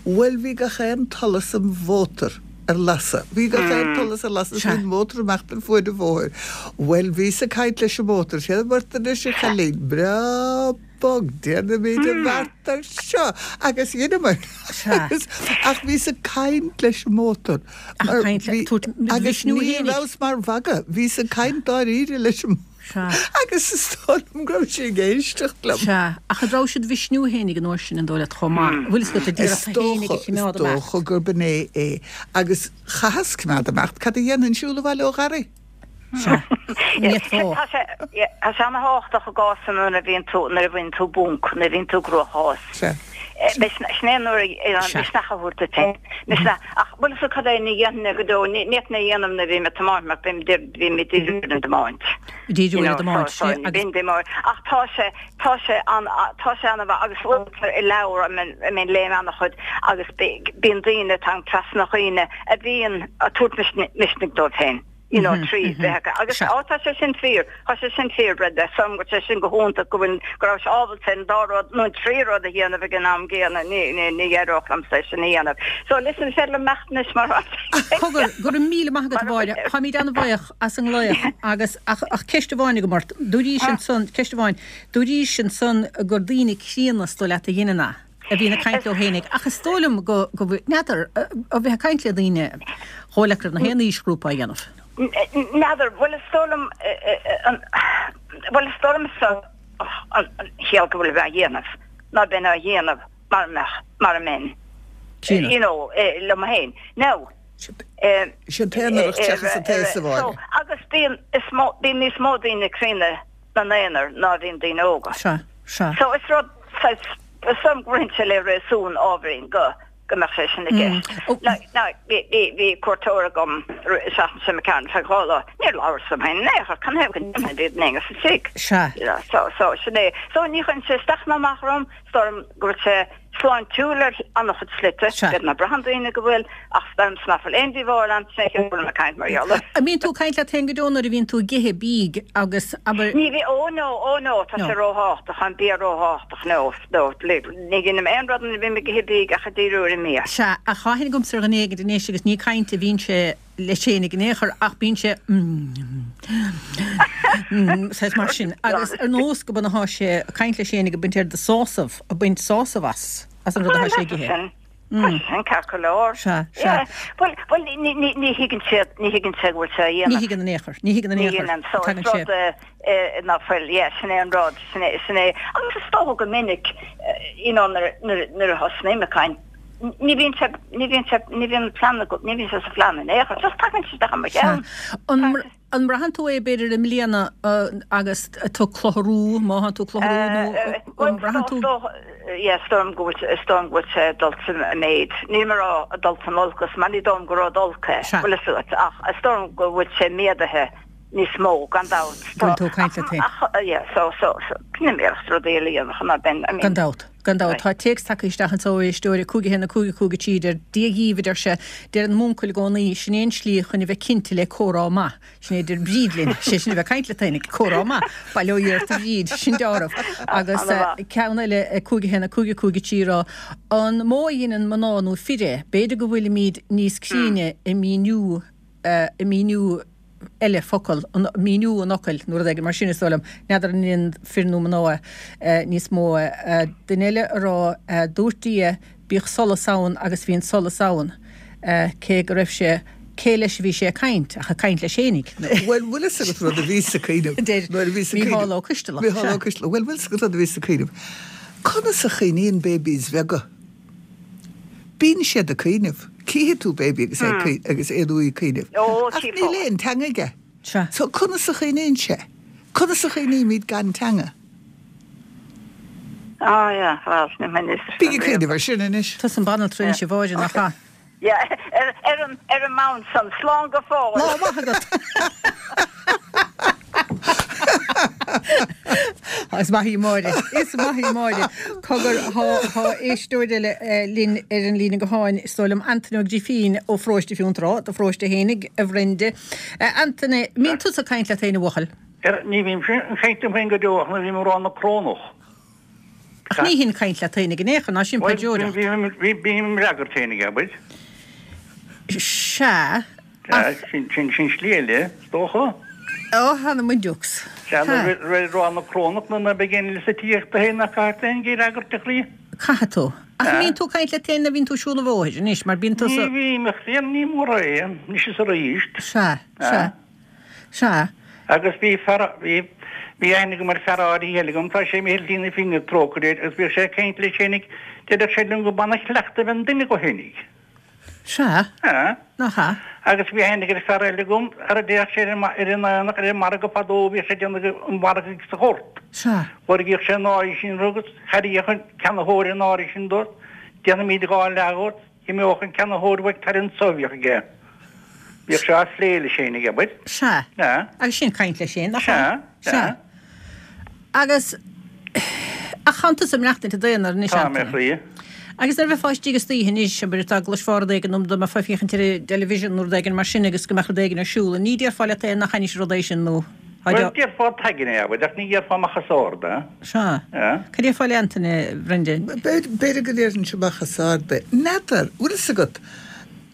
Bhuel bhí gach aon tsolas an mhótair ar lasadh. Bhí gach aon tsolas ar lasadh Sea. bhí an mótar amach den fuaid an bhóthair. Bhuel bhíos ag caint leis an mótar, sé bhart anois a chailín breá bog déanaimid an bheart ar seo agus dheineamar Sea. agus ach bhíos ag caint leis an mótar Ach mar caint le bhí tabhairt agus mhisniú ní fhéinig. rabhas mar mhagadh, bhíos ag caint dáiríre leis an Sea. agus is dóigh liom go raibh sé ag éisteacht liom. Sea, ach an raibh siad mhisniú fhéinig an uair sin an dóigh leat chomh maith. Bhfuil fhios agat a Is d'iarracht fhéinig a dócha is choimeád amach. dócha gurb in é é agus chaitheas coimeád amach cad a dhéanfainn siúl abhaile ó Gharraí. Sea. Ní fhéadfá. Tá sé tá sé ana-thábhachtach i gcás nuair a bhíonn tú nuair a bhíonn tú bunk, nuair a bhíonn tú i gcruachás. Sea. Sin é nuair a Sea. misneach a thabhairt duit féin. Misneach ach bhfuil fhios agat cad é ní dhéanfainn é go deo, ní ní fhéadfainn é a dhéanamh nuair a bhím ag tiomáint mar bím bím ag díriú ar an dtiomáint. Díriú You ar an know, dtiomáint, so sea, so agus bím tiomáint ach tá sé tá sé an tá sé an-mhaith agus uaireanta i leabhar I mean I mean léim an-chuid agus bíonn daoine tá trasna dhaoine a bhíonn ag tabhairt misnigh dóibh féin. You know, trí bheith agus Sea. á tá sé sin fíor, tá sé sin fíor Brenda, sam go sé sin go hiontach go bhfuil go raibh sé ábalta an dá rud nó an trí rud a dhéanamh ag an am gcéanna ní ní ní éireodh liomsa é sin a dhéanamh. So listen féidir liom imeacht anois mar Cogar, go raibh míle maith agat a Mháire, táimid an-bhuíoch as an nglaoch agus ach ach ceist amháin agam ort, dúraís ansan, ceist amháin, dúraís ansan gur daoine críonna is dóigh leat a dhéanann é, a bhíonn ag caint leo fhéinig, ach is dóigh liom go go bhfuil, n'fheadar, a bheith ag caint le daoine dhóigh leat go raibh na haon aoisghrúpa á dhéanamh. N'fheadar, bhuel is dóigh liom bhuel is dóigh liom an chiall go bhfuil a dhéanamh ná bheinn á dhéanamh mar mbeadh mar a mbeinn Críonna. you know liom féin. Now Sin t-aonaracht seachas an t-aos a Mháire. agus bíonn is mó bíonn níos mó daoine críonna na n-aonar ná bhíonn daoine óga. Sea, sea. So is rud is sam go roinnt le réasún ábhairín go go mbeadh sé sin i gceist. Oh. Now bhí bhí bhí cuairteoir agam seachtain seo ceann fe dhála níor labhair liom féin in aon chor can go bhí éinne sa tigh. Sea. You know, so so sin é. So ní chuireann sé isteach ná amach orm is dóigh liom go bhfuil sé sláintiúil ar an-chuid slite, Sea. B'fhéidir ná braitheann daoine go bhfuil ach is dóigh liom nach bhfuil aon díobháil ann sin é go bhfuil mé ag caint mar gheall air. An mbíonn tú ag caint leat féin go deo nuair a bhíonn tú ag ithe bídh agus abair Ní bhí ó no ó no tá No. sé róthábhachtach an bia róthábhachtach no no ní dhéanaim aon rud nuair a bhím ag ithe bídh ach ag díriú ar an mbia. Sea, ach tá aithne agamsa ar dhuine éigin anois agus ní caint a bhíonn sé leis féin in aon chor ach bíonn sé saghas mar sin agus ar nós go b'atá sé ag caint leis féin ag baint ar de sásamh a baint sásamh as as an rud atá sé ag ithe. Sin. Tá sé sin ceart go leor. Sea, sea. Bhuel, bhuel, ní, ní, ní thuigeann siad, ní thuigeann siad go bhfuil sé á dhéanamh. Ní thuigeann in aon chor, ní thuigeann in aon chor. Ní thuigeann, so is Tagann sé. rud eh, ná fuil, yeah, sin é an rud, sin é, sin é. Agus is dócha go minic, you know, nuair, nuair, nuair a thosnaím ag caint, ní bhíonn sé, ní bhíonn sé, ní bhíonn plean agat, ní bhíonn sé sa phlean in aon chor, just tagann sé isteach i mo Sea. cheann. An, Tagann sé. an mbraitheann tú é b'fhéidir i mbliana agus tú ag clutharú, má thánn tú ag clutharú nó an mbraitheann tú? Yeah, is dóigh liom go bhfuil, is dóigh liom go bhfuil sé ag dul i méid. Níl mé ag rá ag dul san olcas, mar ní dóigh liom gur rud olc é, bhfuil fhios agat, ach is dóigh liom go bhfuil sé méadaithe níos mó, gan dabht. Go bhfuil tú ag caint leat féin. Ach, yeah, so, so, so, ní iarracht rudaí a dhéanamh chun ná bheinn, I mean. Gan dabht. Gan dabht, tá téacs tagtha isteach anso ó éisteoir, a cúig a haon a cúig a cúig a trí, deir, Dia dhíbh, a deir sé, deireann m'uncail i gcónaí, sin é an slí chun a bheith cinnte le comhrá maith. Sin é a deir Bríd linn, sé sin a bheith ag caint leat fhéinig, comhrá maith. Bail ó Dhia ort a Bhríd, sin deáramh. Agus ceann eile, a cúig a haon a cúig a cúig a trí, ag rá, An mó a dheineann mná nó fir é? B'fhéidir go bhfuilimíd níos cruinne i míniú, i míniú, eile focal, míniú an fhocail nó rud éigin mar sin, is dóigh liom. N'fheadar an ndéanann fir nó mná é níos mó. Duine eile a rá, dúirt Dia, bíodh solas ann agus bhí an solas ann, cé go raibh sé, cé leis a bhí sé ag caint ach ag caint leis fhéinig. Bhuel, bhfuil fhios agat rud a bhíos ag cuimhneamh Deir nuair a bhíos ag Mícheál cuimhneamh. Ó Coistealbha, Mícheál sea. Ó Coistealbha, Bhuel, bhfuil fhios agat rud a bhíos ag cuimhneamh. Conas a chuimhníonn babies bheaga? Bíonn siad ag cuimhneamh. Cífidh tú baby agus é ag agus é nó í ag cuimhneamh. Ó, Ach chífeá. níl aon teanga aige. Sea. So conas a chuimhníonn sé? Conas a chuimhnímid gan teanga? Ah, yeah, well, ní mé níos Bí ag cuimhneamh ar sin anois. Tusa an banaltra anois a Mháire, nach ea? Yeah, ar, ar an, ar an mbonn san, slán go fóill. Lá maith agat! Is maith í Máire. Is maith í Máire. Cogar, thá, thá éisteoir eile linn ar an líne gutháin, is dóigh liom, Antaine Ó Grifín ó Pharóiste Fionntrá, do pharóiste fhéinig, a Bhrenda. Antaine, mbíonn tusa ag caint leat féin, a bhuachaill? Ní bhímse ag caint liom féin go deo ach nuair a bhím ag rá na Corónach. Ach ní hin caint leat féinig in aon chor, ná sin paidreoireacht. Bhuel, bím im fhreagairt féinig, abair. Sea, ach. Sin sin slí eile, is dócha. Ó, th'anam 'on deox. Sea, nuair a bheith ag rá na Corónach nó nuair a bheidh éinne sa tigh tú féin nach caithfidh tú féin ag fhreagairt a chroí. Caithfidh tú. Ach an mbíonn tú ag caint leat féin nuair a bhíonn tú ag siúl an bhóthair anois, mar bíonn tusa. Ní bhím, a chroí, ní mór é, anois is arís. Sea, sea. Sea. Agus bhí fear, bhí, bhí aithne agam ar fear áirithe eile agam, tá sé imithe ar shlí na fírinne, trócaire air, agus bhíodh sé ag caint leis fhéinig, deireadh sé liom go b'ana-chleachtadh a bheith i nduine dhó fhéinig. Sea. Sea. Nach ea? Agus bhí aithne ar fear eile agam, ar a dtéadh sé ar an, ar an aonach, ar an margadh fadó, bhíodh sé ag déanamh an mhargaidh sa ghort. Sea. Lorgaíodh sé an áirithe sin agus thairgeadh an ceannaitheoir an áirithe sin dó, déanfaimid dhá leath dhuit, D'imeodh an ceannaitheoir uaidh tar anso a bhíodh aige. Bhíodh sé á phlé leis fhéinig, abair. Sea. Sea. Agus sin caint leis féin, nach ea? Sea, sea. Sea. Agus, ach thánn tusa ag maireachtaint i d'aonar anois, Tá mé, Antaine. a chroí. Agus nuair a bheifeá istigh istoíche anois, abair, dá gcloisfeá rud éigin nó dá mbeifeá ag féachaint ar an dtelevision nó rud éigin mar sin agus go mbeadh rud éigin ar siúl, an ní déarfá leat féin nach ainnis rud é sin nó Bhuel, déarfá tagann é, abair, ach ní dhéarfá amach os ard é. Sea. Sea. Cad déarfá le Antaine, a Bhrendain? B'fhéidir go ndéarfainnse amach os ard é. N'fheadar, bhfuil fhios agat,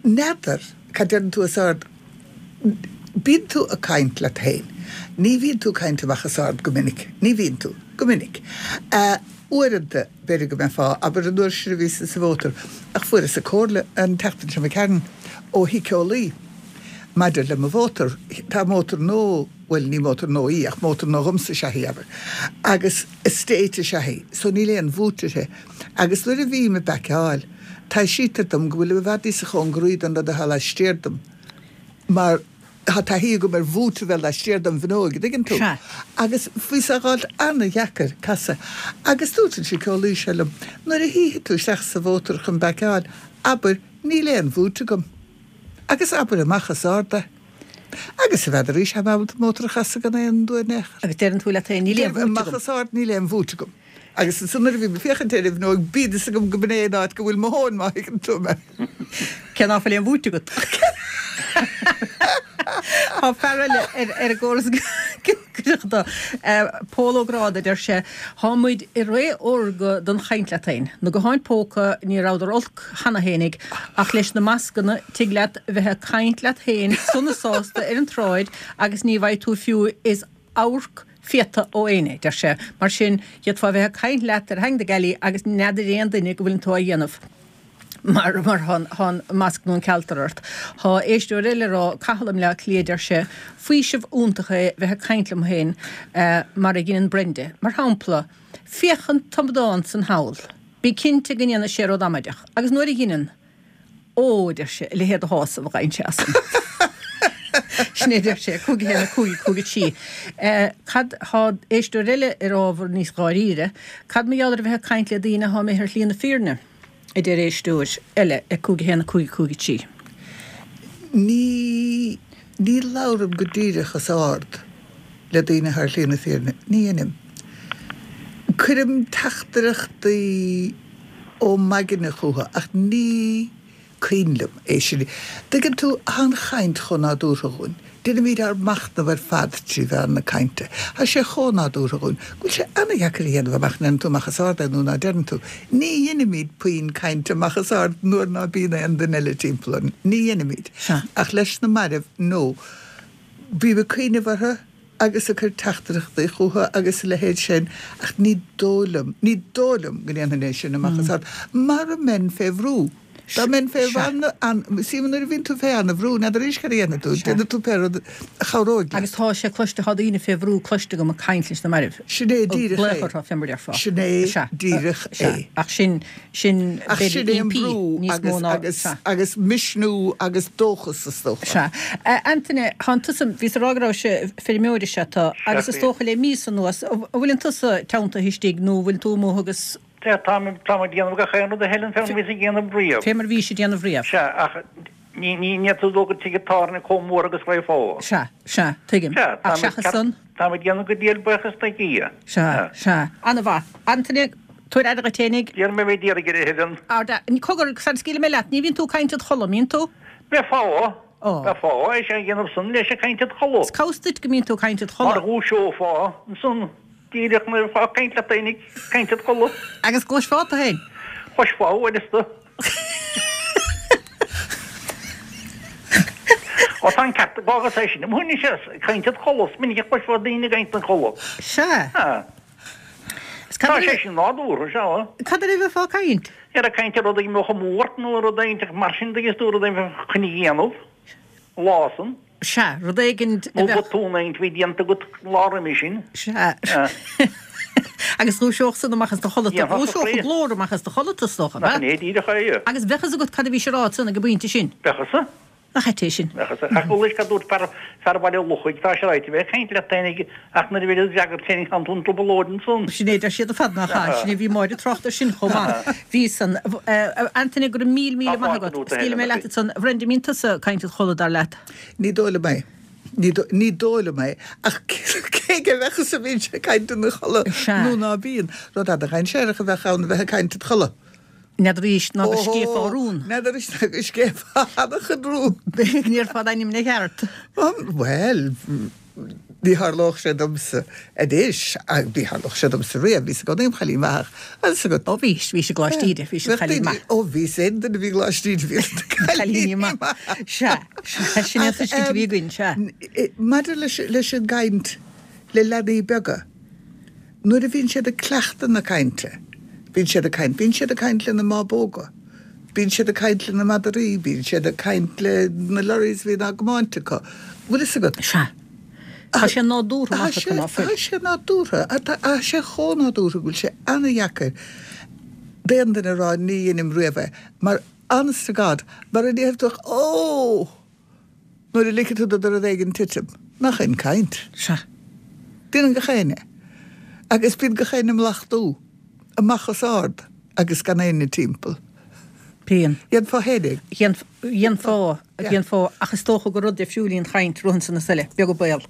n'fheadar cad deireann tú os ard. Bíonn tú ag caint leat féin. Ní bhíonn tú ag caint amach os ard go minic. Ní bhíonn tú. Go minic. Uaireanta, b'fhéidir go mbeifeá, abair an uair sin a bhíos-sa sa mhótar, ach fuaireas-sa comhairle an tseachtain seo imigh tharainn ó shíceolaí maidir le mo mhótar. Tá mótar nua, bhuel ní mótar nua í ach mótar nua dhomsa is ea í, abair, agus estate is ea í, so níl aon bhúit uirthi. Agus nuair a bhím ag baiceáil, taibhsítear dom go bhfuilim i bhfad níosa chóngaraí don rud atá laistiar dom mar tá taithí agam ar bhúit a bheith laistiar dom bhfuinneoig, an dtuigeann tú? Sea. Agus bhí sé á fháilt ana-dheacair casadh. Agus dúirt an síceolaí seo liom, nuair a shuífidh tú isteach sa mhótar chun baiceáil, abair, 'Níl aon bhúit agam. Agus abair amach os ard é. Agus n'fheadar arís, táim ábalta mótar a chasadh gan aon dua in aon chor. Agus deireann tú leat féin, níl aon Deirim bhúit amach agam. os ard, níl aon bhúit agam. Agus ansan nuair a bhím ag féachaint ar an bhfuinneog, bíonn fhios agam go b'in é an áit go bhfuil mo thóin, má thuigeann tú mé. Cé ná fuil aon bhúit agat? Tá fear eile ar ar an gcóras cuideachta, Pól Ó Gráda, deir sé, Tá muid i ré órga don chaint leat féin. Na gutháin póca, ní rabhadar olc cheana fhéinig, ach leis na mascanna, tig leat bheith ag caint leat féin sona sásta ar an tsráid agus ní bhfaighidh tú fiú is amharc fiata ó éinne, deir sé. Mar sin, d'fhéadfá bheith ag caint leat ar theanga na gealaí agus n'fheadar aon duine go bhfuileann tú á dhéanamh. Mar mar thá an masc nó an cealtar ort. Thá éisteoir eile ag rá, Cathal i mBleá Cliath, deir sé, faoiseamh iontach é bheith ag caint liom féin mar a dheineann Brenda. Mar shampla, féach an t-amadán san thall. Bí cinnte go ndéanfaidh sé rud amaideach. Agus nuair a dheineann, Ó, a deir sé, a leithéid de shásamh a fhaigheann sé as san. Sin é a deir sé, cúig a haon, a cúig, cúig a trí. Cad, thá éisteoir eile ar ábhar níos dháiríre, cad mar gheall ar a bheith ag caint le daoine athá imithe ar shlí na fírinne? a deir éisteoir eile ag cúig a haon, a cúig, cúig a trí. Ní, ní labhraim go díreach os ard le daoine athá ar shlí na fírinne. Ní dheinim. Cuirim teachtaireachtaí ó m'aigne chucu ach ní cuimhin liom é sin. Tuigeann tú, tá an chaint chomh nádúrtha dhúinn. Déanaimid ár machnamh ar fad trí mheán na cainte. Tá sé chomh nádúrtha dhúinn go bhfuil sé ana-dheacair a dhéanamh amach an ndeireann tú amach os ard é nó ná deireann tú. Ní dheinimid puinn cainte amach os ard nuair ná bíonn aon duine eile timpeall orainn. Ní dheinimid. Ach leis na mairbh, no. Bím ag cuimhneamh orthu agus ag cur teachtaireachtaí chucu agus a leithéid sin ach ní dóigh liom, ní dóigh liom go ndéanfainn é sin amach os ard mara mbeinn fé bhrú. Dá mbeinn fé sea nuair a bhíonn tú fé ana-bhrú, n'fheadar arís cad a dhéanfaidh tú, déanfaidh tú pé rud a chabhróidh leat. Agus tá sé cloiste, tá daoine fé bhrú cloiste agam ag caint leis na mairbh. Sin é díreach é. Glaoch orthu, fé mar a déarfá. Sin é díreach é. Ach sin, sin, Ach sin é an brú agus, agus, agus misniú agus dóchas is dócha. Sea. Antaine, thánn tusa, bhíos ag rá go rabhais feirmeoir is ea tú, agus is dócha le míosa anuas, an bhfuileann tusa teanntaithe istigh nó an bhfuil tú amuigh agus. Sea, táim, táim ag déanamh gach aon rud a Helen fé mar a bhíos ag déanamh riamh. Fé mar a bhís ag déanamh riamh. Sea, ach ní, ní, ní fhéadfá dul go tigh an tábhairne chomh mór agus raghfá. Sea, sea, tuigim. Sea, Ach táim ag seachas san? Táim ag déanamh go diail buíochas do Dhia. Sea, sea. Ana-mhaith. Antaine, tabhair aire dhuit fhéinig. Déanfaidh mé d'iarraidh ar a Helen. Ard, cogar, sara scaoilfidh mé leat, ní bhíonn tú ag caint id chodladh, mbíonn tú? Bheifeá, Ó. bheifeá, é sin a dhéanamh san leis ag caint id chodladh. Is cá bhfios duit go mbíonn tú ag caint id chodladh? Mar dhúiseofá ansan. Díreach nuair a bheifeá ag caint leat fhéinig, caint id chodladh. Agus gcloisfeá tú fhéin. Chloisfeá uaireanta. Ó tá an ceart ag agus é sin. Mhúin sé caint id chodladh. Is minic a chloisfeá daoine ag caint ina chodladh. Sea. Is cad Tá sé sin nádúrtha, sea. Cad air a bheifeá ag caint? Ar ag caint ar rud a mbeadh amú ort nó rud éigin mar sin de is tú rud éigin a bheifeá chun a dhéanamh an lá san. Sea, rud éigin a Nó bheadh. botún éigin a bhí déanta agat an lá roimhe sin. Sea. Agus dhúiseodh san amach as do chodladh tú. Dhúiseodh an glór amach as do chodladh tú, is dócha, ab ea? Nach in é díreach é. Agus bheadh fhios agat cad a bhís a rá ansan ag an bpointe sin. Bheadh fhios. Nach ait é sin? Bheadh fhios. Ach bhuel, is cad dúirt fear, fear Bhaile Lochaigh, tá sé ráite, bheith ag caint leat féinig ach nuair a bheidh do fhreagairt féinig tánn tú in trioblóid ansan. Sin é, deir siad ar fad nach ea? Sin é, bhí Máire ag trácht air sin chomh maith. Bhí san. Antaine, go raibh míle, míle maith agat. Scaoilfidh mé leat ansan. A Bhrenda, mbíonn tusa ag caint id chodladh, dar leat? Ní dóigh liom é. Ní dóigh liom é. Ach cé aige a bheadh fhios an mbíonn sé ag caint ina chodladh nó ná bíonn. Rud ana-dhainséarach a bheadh ann a bheith ag caint id chodladh. N'fheadar arís ná go scéifeá rún. N'fheadar arís ná go scéifeá an-chuid rún. Go ndéarfá d'ainm ina cheart. Bhuel, Ní tharlódh sé domsa anois, ach ní tharlódh sé domsa riamh, bhíos i gcónaí im chailín maith ach agus agat. Ó bhís, bhís i gColáiste Íde, bhís im chailín maith. Ó bhíos, aon duine a bhí i gColáiste Íde bhí na cailíní maith. Sea, sea, sin é an tuiscint a bhí againn, sea. Maidir leis, leis an gcaint le leanaí beaga, nuair a bhíonn siad ag cleachtadh na cainte, bíonn siad ag caint, bíonn siad ag caint lena mbábóga, bíonn siad ag caint lena madraí, bíonn siad ag caint le na lorries a bhíonn á gcomáint acu. Bhfuil fhios agat? Sea. Tá sé nádúrtha Tá amach sé, acu, ná fuil? tá sé nádúrtha. Tá sé chomh nádúrtha go bhfuil sé ana-dheacair d'aon duine a rá ní dheinim riamh é mar honest to God, mar a déarfadh tú ó! Nuair a ligfidh tú do rud éigin titim, nach in caint? Sea. Déanann gach éinne. Agus bíonn gach éinne ag mlachtú amach os ard agus gan éinne timpeall. Bíonn. Dhéanfá féin é. Dhéanfá, dhéanfá, ach is dócha gur rud difriúil í an chaint, romhan san is eile, beag an baol.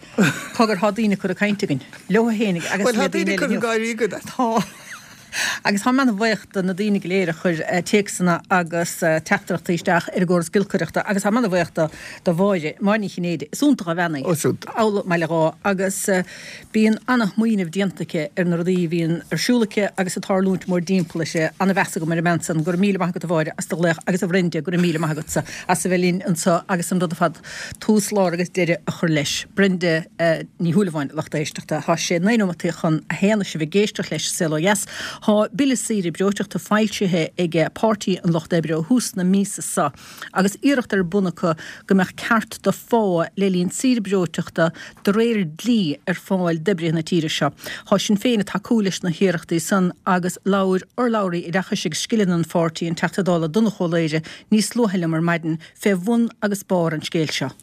Cogar, thá daoine ag cur ag caint againn, leo fhéinig agus Bhuel, le thá daoine daoine ag eile cur inniu. gáirí againn. Tá. Agus táim ana-bhuíoch do na daoine go léir a chuir téacsanna agus teachtaireachtaí isteach ar an gcóras giolcaireachta agus táim ana-bhuíoch do do Mháire, Máire Ní Chinnéide. Is iontach an bhean í. Ó, is iontach. Amhlaidh maith le dhá. Agus bíonn ana-shmaoineamh déanta aici ar na rudaí a bhíonn ar siúl aici agus ag tarlúint mórdtimpeall uirthi. Ana-mheas agam ar an mbean san. Go raibh míle maith agat a Mháire as do ghlaoch agus a Bhrenda, go raibh míle maith agatsa as a bheith linn anseo agus an rud ar fad tús, lár agus deireadh a chur leis. Brenda Ní Shúilleabháin, lucht éisteachta. Tá sé naoi nóimeataí chun a haon is sibh ag éisteacht leis Saol Ó Dheas. Tá Bille Saoire Breoiteachta foilsithe ag Páirtí an Lucht Oibre ó thús na míosa seo agus iarracht ar bun acu go mbeadh ceart do phá le linn saoire breoiteachta de réir dlí ar fáil d'oibrithe na tíre seo. Tá Sinn Féin ag tacú leis na hiarrachtaí san agus labhair urlabhraí oideachais agus scileanna an pháirtí an Teachta Dála Donnchadh Ó Laoghaire níos luaithe liom ar maidin fé bhun agus barr an scéil seo.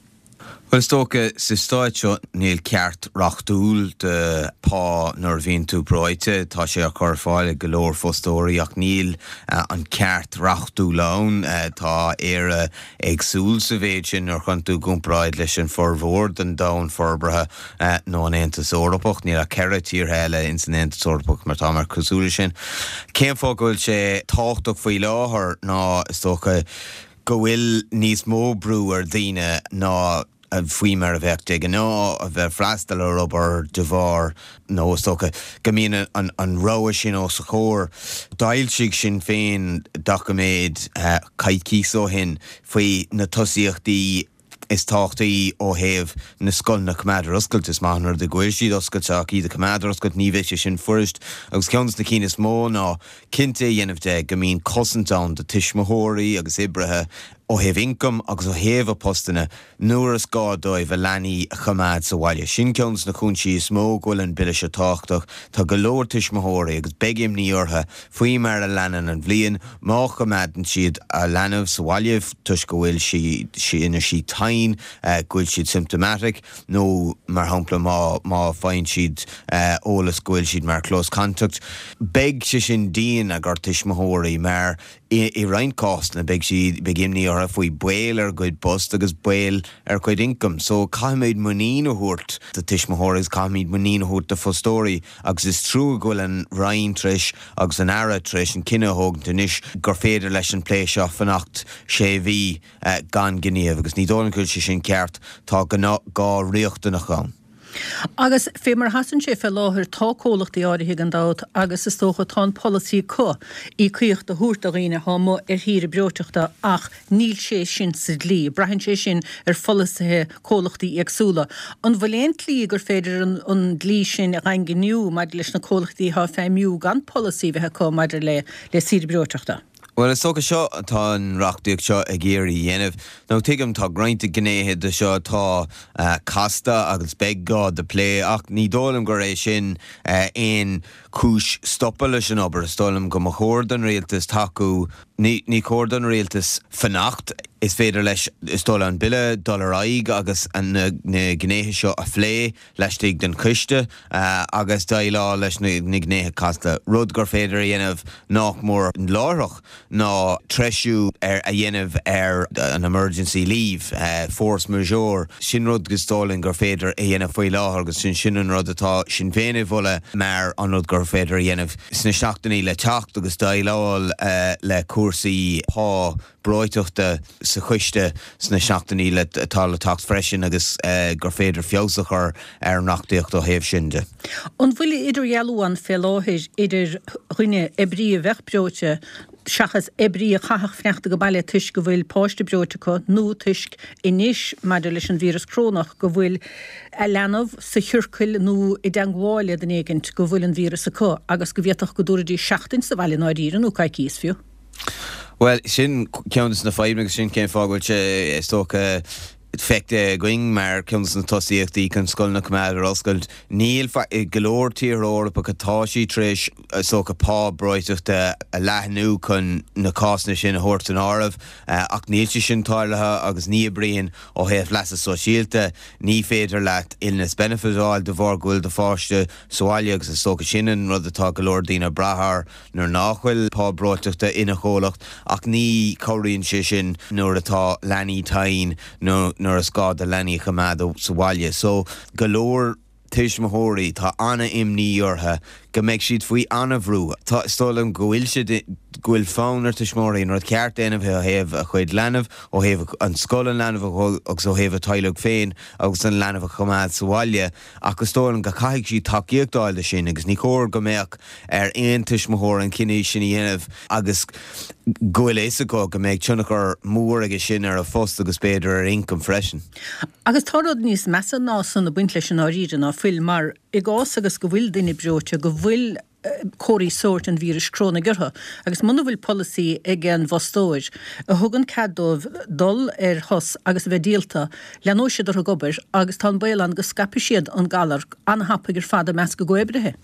Well is dócha sa stáit seo níl ceart reachtúil de pá nuair a bhíonn tú breoite, tá sé á chur ar fáil ag go leor fostóirí ach níl an ceart reachtúil ann. Tá Éire éagsúil sa mhéid sin nuair a chuireann tú i gcomparáid leis an formhór den domhan forbartha nó an Aontas Eorpach. Níl ach ceithre tíortha eile ins an Aontas Eorpach mar tá mar cosúil leis sin. Cén fáth go bhfuil sé tábhachtach faoi láthair ná is dócha go bhfuil níos mó brú ar dhaoine ná faoi mar a bheadh de ghnáth a bheith freastal ar obair de bharr nó is dócha go mbíonn an an rogha sin os a chomhair. D'fhoilsigh Sinn Féin doiciméad coicís ó shin faoi na tosaíochtaí is tábhachtaí ó thaobh na scoileanna a choimeád ar oscailt. Is maith an rud é go bhfuil siad oscailte ach iad a choimeád ar oscailt ní bheidh sé sin fuirist agus ceann de na cinn is mó ná cinnte a dhéanamh de go mbíonn cosaint ann do tuismitheoirí agus oibrithe ó thaobh ioncaim agus ó thaobh a postanna nuair is gá dóibh a leanaí a choimeád sa bhaile. Sin ceann de na cúinsí is mó go bhfuil an bille seo tábhachtach. Tá go leor tuismitheoirí agus beidh imní orthu faoi mar a leanann an bhliain má choimeádann siad a leanbh sa bhaile toisc go bhfuil sí ina sí tinn, go bhfuil siad symptomatic nó mar shampla má má faigheann siad eolas go bhfuil siad mar close contact. Beidh sé sin dian ar tuismitheoirí mar i roinnt cásanna beidh siad beidh imní orthu faoi baol ar a gcuid post agus baol ar a gcuid income. So caithfimid muinín a thabhairt do tuismitheoirí agus caithfimid muinín a thabhairt do fostóirí agus is trua go bhfuil an Roinn tar éis agus an Aire tar éis an cinneadh a thógaint anois gur féidir leis an plé seo fanacht sé mhí gan gníomh agus ní dóigh liom go bhfuil sé sin ceart tá gá riachtanach ann. Agus fé mar a sheasann sé fé láthair tá comhlachtaí áirithe gan dabht agus is dócha tá an polasaí acu íocaíocht a thabhairt do dhaoine atá amuigh ar shaoire breoiteachta ach níl sé sin sa dlí. Braitheann sé sin ar pholasaithe comhlachtaí éagsúla. An bhfuil aon tslí gur féidir an, an dlí sin a dhaingniú maidir leis na comhlachtaí atá ag feidhmiú gan polasaí bheith acu maidir le le saoire breoiteachta? Well is dócha seo atá an reachtaíocht seo ag iarraidh a dhéanamh. Nó tuigim tá roinnt gnéithe de seo atá casta agus beidh gá do plé ach ní dóigh liom gur é sin aon chúis stopadh leis an obair. Is dóigh liom go mba chóir don rialtas tacú ní ní chóir don rialtas fanacht. Is féidir leis is dóigh an bille dul ar aghaidh agus an na, na gnéithe seo a phlé laistigh den choiste uh, agus déileáil leis na, na gnéithe casta. Rud gur féidir a dhéanamh nach mór láithreach ná treisiú ar a dhéanamh ar an emergency leave, uh, force majeure. Sin rud is dóigh liom gur féidir a dhéanamh faoi láthair agus sin sin an rud atá Sinn Féin a mholadh mar an rud gur féidir a dhéanamh sna seachtainí le teacht agus déileáil uh, le cúrsaí pá breoiteachta sa choiste sna seachtainí le atá le teacht freisin agus uh, gur féidir feabhas a chur ar an reachtaíocht ó thaobh sin de. An bhfuil idirdhealú ann fé láthair idir dhuine oibrí a bheadh breoite seachas oibrí a chaithfeadh fanacht go baile toisc go bhfuil páiste breoite acu nó toisc anois maidir leis an víreas corónach go bhfuil a leanbh sa chiorcal nó i dteagmháil le duine éigint go bhfuil an víreas acu agus go bhféadfadh go dtabharfaidís seachtain sa bhaile ndáiríre nó coicís fiú. Well sin ceann de na fadhbanna agus sin cén fáth go bhfuil sé is dócha feicthe againn mar ceann de na tosaíochtaí chun scoileanna a choimeád ar oscailt. Níl go leor tíortha Eorpacha atá sí tar éis is dócha pá breoiteachta a leathnú chun na cásanna sin a thabhairt san áireamh ach níl sé sin tarlaithe agus ní oibríonn ó thaobh leasa sóisialta ní féidir leat illness benefit a fháil de bharr go bhfuil do pháiste sa bhaile agus is dócha sin an rud atá go leor daoine brath air nuair nach bhfuil pá breoiteachta ina chomhlacht ach ní chabhraíonn sé sin nuair atá leanaí tinn nó nuair is gá do leanaí a choimeád sa bhaile. So go leor tuismitheoirí tá an-imní orthu go mbeidh siad faoi an-bhrú. Tá is dóigh liom go bhfuil siad go bhfuil fonn ar tuismitheoirí an rud ceart a dhéanamh ó thaobh a chuid leanbh, ó thaobh an scoil an leanbh agus ó thaobh a teaghlaigh féin agus an leanbh a choimeád sa bhaile ach is dóigh liom go caithfidh siad tacaíocht a fháil de sin agus ní chóir go mbeadh ar aon tuismitheoir an cinneadh sin a dhéanamh agus go bhfuil a fhios acu go mbeidh tionchar mór aige sin ar a phost agus b'fhéidir ar ioncam freisin. Agus tá rud níos measa ná san ag baint leis an ndáiríre ná fuil mar i gcás agus go bhfuil duine breoite go bhfuil comharthaí sóirt an víris crónaigh orthu agus muna bhfuil polasaí ag an bhfostóir a thugann cead dóibh dul ar shos agus a bheith díolta, leanóidh siad orthu ag obair agus tá an baol ann go scaipfidh siad an galar an-thapaidh ar fad i measc a gcomhoibrithe.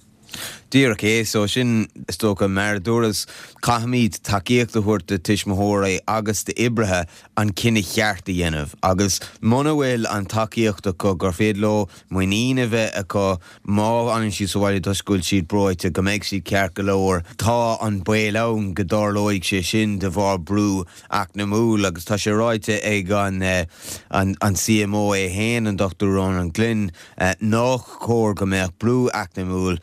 Díreach é, so sin is dócha mar a dúras, caithfimid tacaíocht a thabhairt do tuismitheoirí agus d'oibrithe an cinneadh cheart a dhéanamh agus muna bhfuil an tacaíocht acu gur féidir leo muinín a bheith acu má fhanann siad sa bhaile toisc go bhfuil siad breoite go mbeidh siad ceart go leor, tá an baol ann go dtarlóidh sé sin de bharr brú eacnamúil agus tá sé ráite ag an an C M O é féin, an Dochtúir Ronan Glynn, nách cóir go mbeadh brú eacnamúil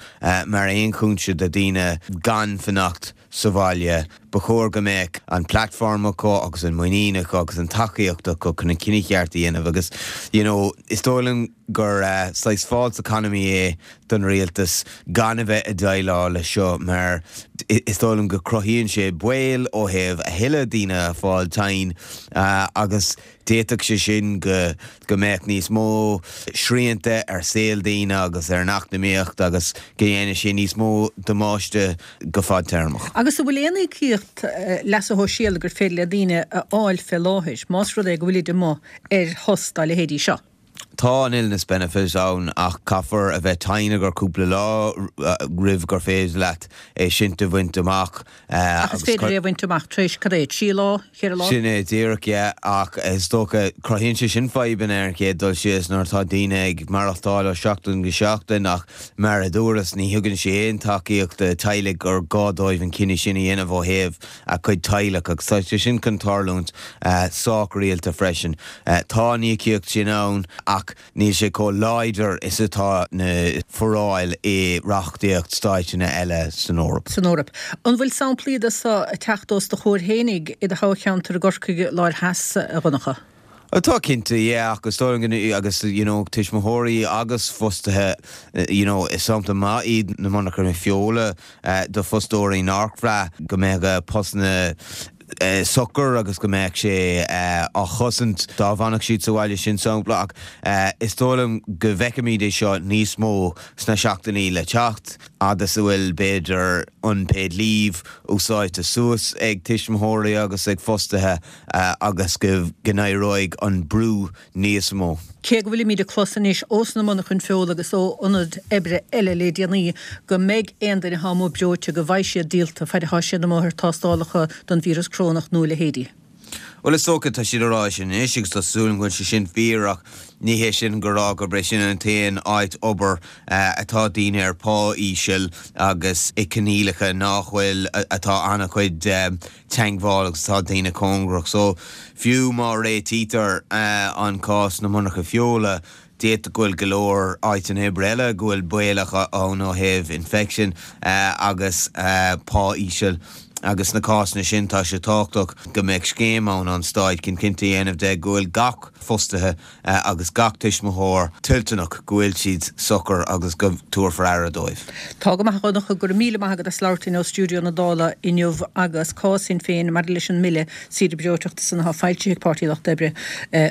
mar aon chúinse do daoine gan fanacht sa bhaile. Ba chóir go mbeadh an platform acu agus an muinín acu agus an tacaíocht acu chun an cinneadh cheart a dhéanamh agus you know, is dóigh liom gur uh, saghas false economy é don rialtas gan a bheith ag déileáil le seo mar is dóigh liom go cruthaíonn sé baol ó thaobh a thuilleadh daoine a fáil tinn uh, agus d'fhéadfadh sé sin go go mbeadh níos mó srianta ar saol daoine agus ar an eacnamaíocht agus go ndéanfaidh sé níos mó damáiste go fadtéarmach. Agus an bhfuil aon íocaíocht leasa shóisialaigh gur féidir le daoine a fháil fé láthair, más rud é go bhfuilid amuigh ar shos dá leithéidí seo? Tá an illness benefit ann ach caithfear a bheith tinn ar cúpla lá roimh gur féidir leat é sin a bhaint amach. Ach is féidir é a bhaint amach tar éis cad é, trí lá, ceithre lá? Sin é díreach é ach is dócha cruthaíonn sé sin fadhbanna ar an chéad dul síos nuair atá daoine ag maireachtáil ó seachtain go seachtain ach mar a dúras ní thugann sé aon tacaíocht do teaghlaigh gur gá dóibh an cinneadh sin a dhéanamh ó thaobh a cuid teaghlach agus tá sé sin chun tarlúint sách rialta freisin. Tá an íocaíocht sin ann ach níl sé chomh láidir is atá na foráil i reachtaíocht stáiteanna eile san Eoraip. San Eoraip. An bhfuil samplaí de seo ag teacht os do chomhair fhéinig i do thoghcheantar i gCorcaigh Láir Theas, a Dhonncha? Tá cinnte yeah, agus agus you know, tuismitheoirí agus fostaithe you know, is sampla maith iad na monarchana feola uh, do fostóirí nár bhraith go mbeadh postanna Uh, socair agus go mbeadh sé uh, á chosaint dá bhfanfadh siad sa bhaile sin sampla ach uh, is dóigh liom go bhfeicfimid é seo níos mó sna seachtainí le teacht agus a bhfuil b'fhéidir unpaid leave úsáidte suas ag tuismitheoirí agus ag fostaithe uh, agus go n-éireoidh an brú níos mó. Cé go bhfuilimid ag clos anois ós na monarchana feola agus ó ionaid oibre eile le déanaí go mbeidh aon duine atá amuigh breoite go bhfaighidh siad díolta fad atá siad amuigh ar tástálacha don víreas crónach nó a leithéidí. Well is dócha tá siad á rá sin anois agus tá súil go bhfuil sé sin fíor ach ní hé sin go rá gurb é sin an t-aon áit obair atá daoine ar pá íseal agus i coinníollacha nach bhfuil atá an-chuid teagmháil agus atá daoine cóngarach. So fiú má réitítear an cás na monarcha feola, d'fhéadfadh go bhfuil go leor áiteanna oibre eile go bhfuil baolach ann ó thaobh infection agus pá íseal agus sna cásanna sin tá sé tábhachtach go mbeadh scéim ann ón stáit chun cinnte a dhéanamh de go bhfuil gach fostaithe agus gach tuismitheoir toilteanach go bhfuil siad socair agus go dtabharfar aire dóibh. Tá go maith a Dhonncha, go raibh míle maith agat as labhairt linn ó stiúideo na Dála inniu agus cás Shinn Féin maidir leis an mBille Saoire Breoiteachta san atá foilsithe ag Páirtí Lucht Oibre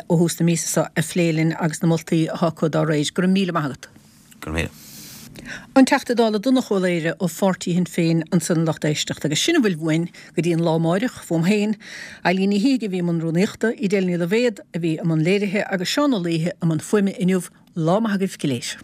ó thús na míosa seo a phlé linn agus na moltaí atá acu dá réir. Go raibh míle maith agat. Go raibh míle. An Teachta Dála Donnchadh Ó Laoghaire ó pháirtí Shinn Féin ansan a lucht éisteachta agus sin a bhfuil uainn go dtí an lá amáireach, fúm féin, Eileen Ní Shíthigh a bhí i mbun rúnaíochta, Edel Ní Loibhéad a bhí i mbun léirithe agus Seán Ó Laoithe i mbun fuaime inniu. Lá maith agaibh go léir.